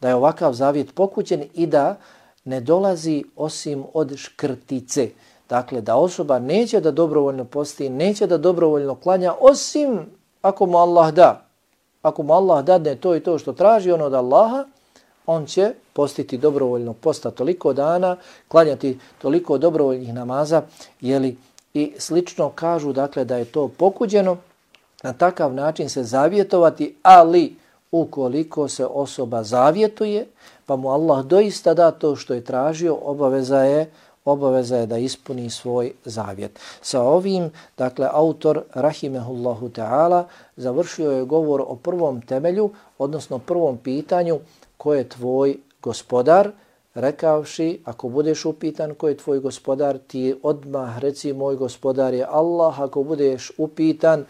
Da je ovakav zavjet pokuđen i da ne dolazi osim od škrtice. Dakle, da osoba neće da dobrovoljno posti, neće da dobrovoljno klanja, osim ako mu Allah da. Ako mu Allah dadne to i to što traži on od Allaha, on će postiti dobrovoljno posta toliko dana, klanjati toliko dobrovoljnih namaza, jeli, i slično kažu, dakle, da je to pokuđeno, na takav način se zavjetovati, ali ukoliko se osoba zavjetuje, pa mu Allah doista da to što je tražio, obaveza je obaveza je da ispuni svoj zavjet. Sa ovim, dakle, autor, rahimehullahu ta'ala, završio je govor o prvom temelju, odnosno prvom pitanju, ko je tvoj gospodar, rekavši, ako budeš upitan ko je tvoj gospodar, ti odmah reci moj gospodar je Allah. Ako budeš upitan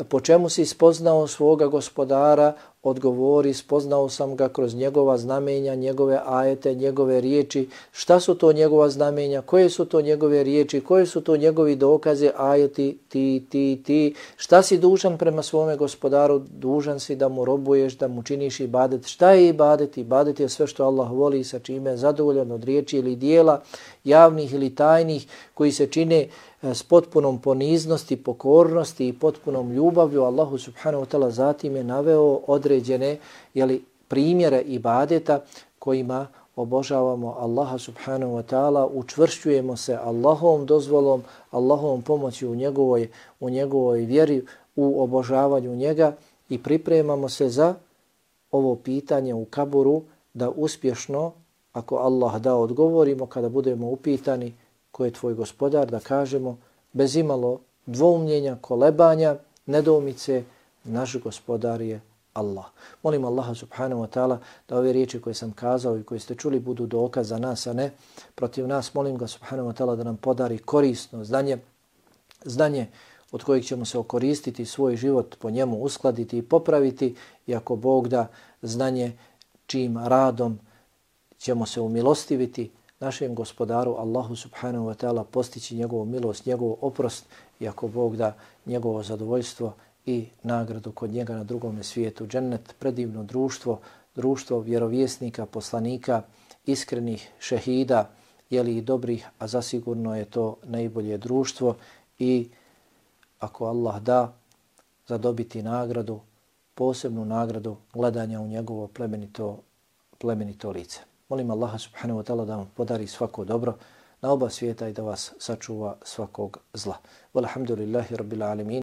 po čemu si spoznao svoga gospodara, odgovori, spoznao sam ga kroz njegova znamenja, njegove ajete, njegove riječi. Šta su to njegova znamenja, koje su to njegove riječi, koje su to njegovi dokaze, ajeti, ti, ti, ti. Šta si dužan prema svome gospodaru? Dužan si da mu robuješ, da mu činiš ibadet. Šta je ibadet? Ibadet je sve što Allah voli, sa čime je zadovoljan od riječi ili dijela, javnih ili tajnih, koji se čine s potpunom poniznosti, pokornosti i potpunom ljubavlju Allahu subhanahu wa ta'ala. Zatim je naveo određene, jeli, primjere ibadeta kojima obožavamo Allaha subhanahu wa ta'ala, učvršćujemo se Allahovom dozvolom, Allahovom pomoći u njegovoj, u njegovoj vjeri, u obožavanju njega i pripremamo se za ovo pitanje u kaburu da uspješno, ako Allah da, odgovorimo kada budemo upitani ko je tvoj gospodar, da kažemo bez imalo dvoumljenja, kolebanja, nedoumice, naš gospodar je Allah. Molim Allaha subhanahu wa ta'ala da ove riječi koje sam kazao i koje ste čuli budu dokaz za nas, a ne protiv nas. Molim ga subhanahu wa ta'ala da nam podari korisno znanje, znanje od kojeg ćemo se okoristiti, svoj život po njemu uskladiti i popraviti, i ako Bog da, znanje čim radom ćemo se umilostiviti našem gospodaru Allahu subhanahu wa ta'ala, postići njegovu milost, njegov oprost, i ako Bog da, njegovo zadovoljstvo i nagradu kod njega na drugom svijetu. Džennet, predivno društvo, društvo vjerovjesnika, poslanika, iskrenih šehida, jeli i dobrih, a zasigurno je to najbolje društvo, i ako Allah da, zadobiti nagradu, posebnu nagradu gledanja u njegovo plemenito, plemenito lice. Molim Allaha subhanahu wa ta'ala da vam podari svako dobro na oba svijeta i da vas sačuva svakog zla. Walhamdulillahi rabbil alamin.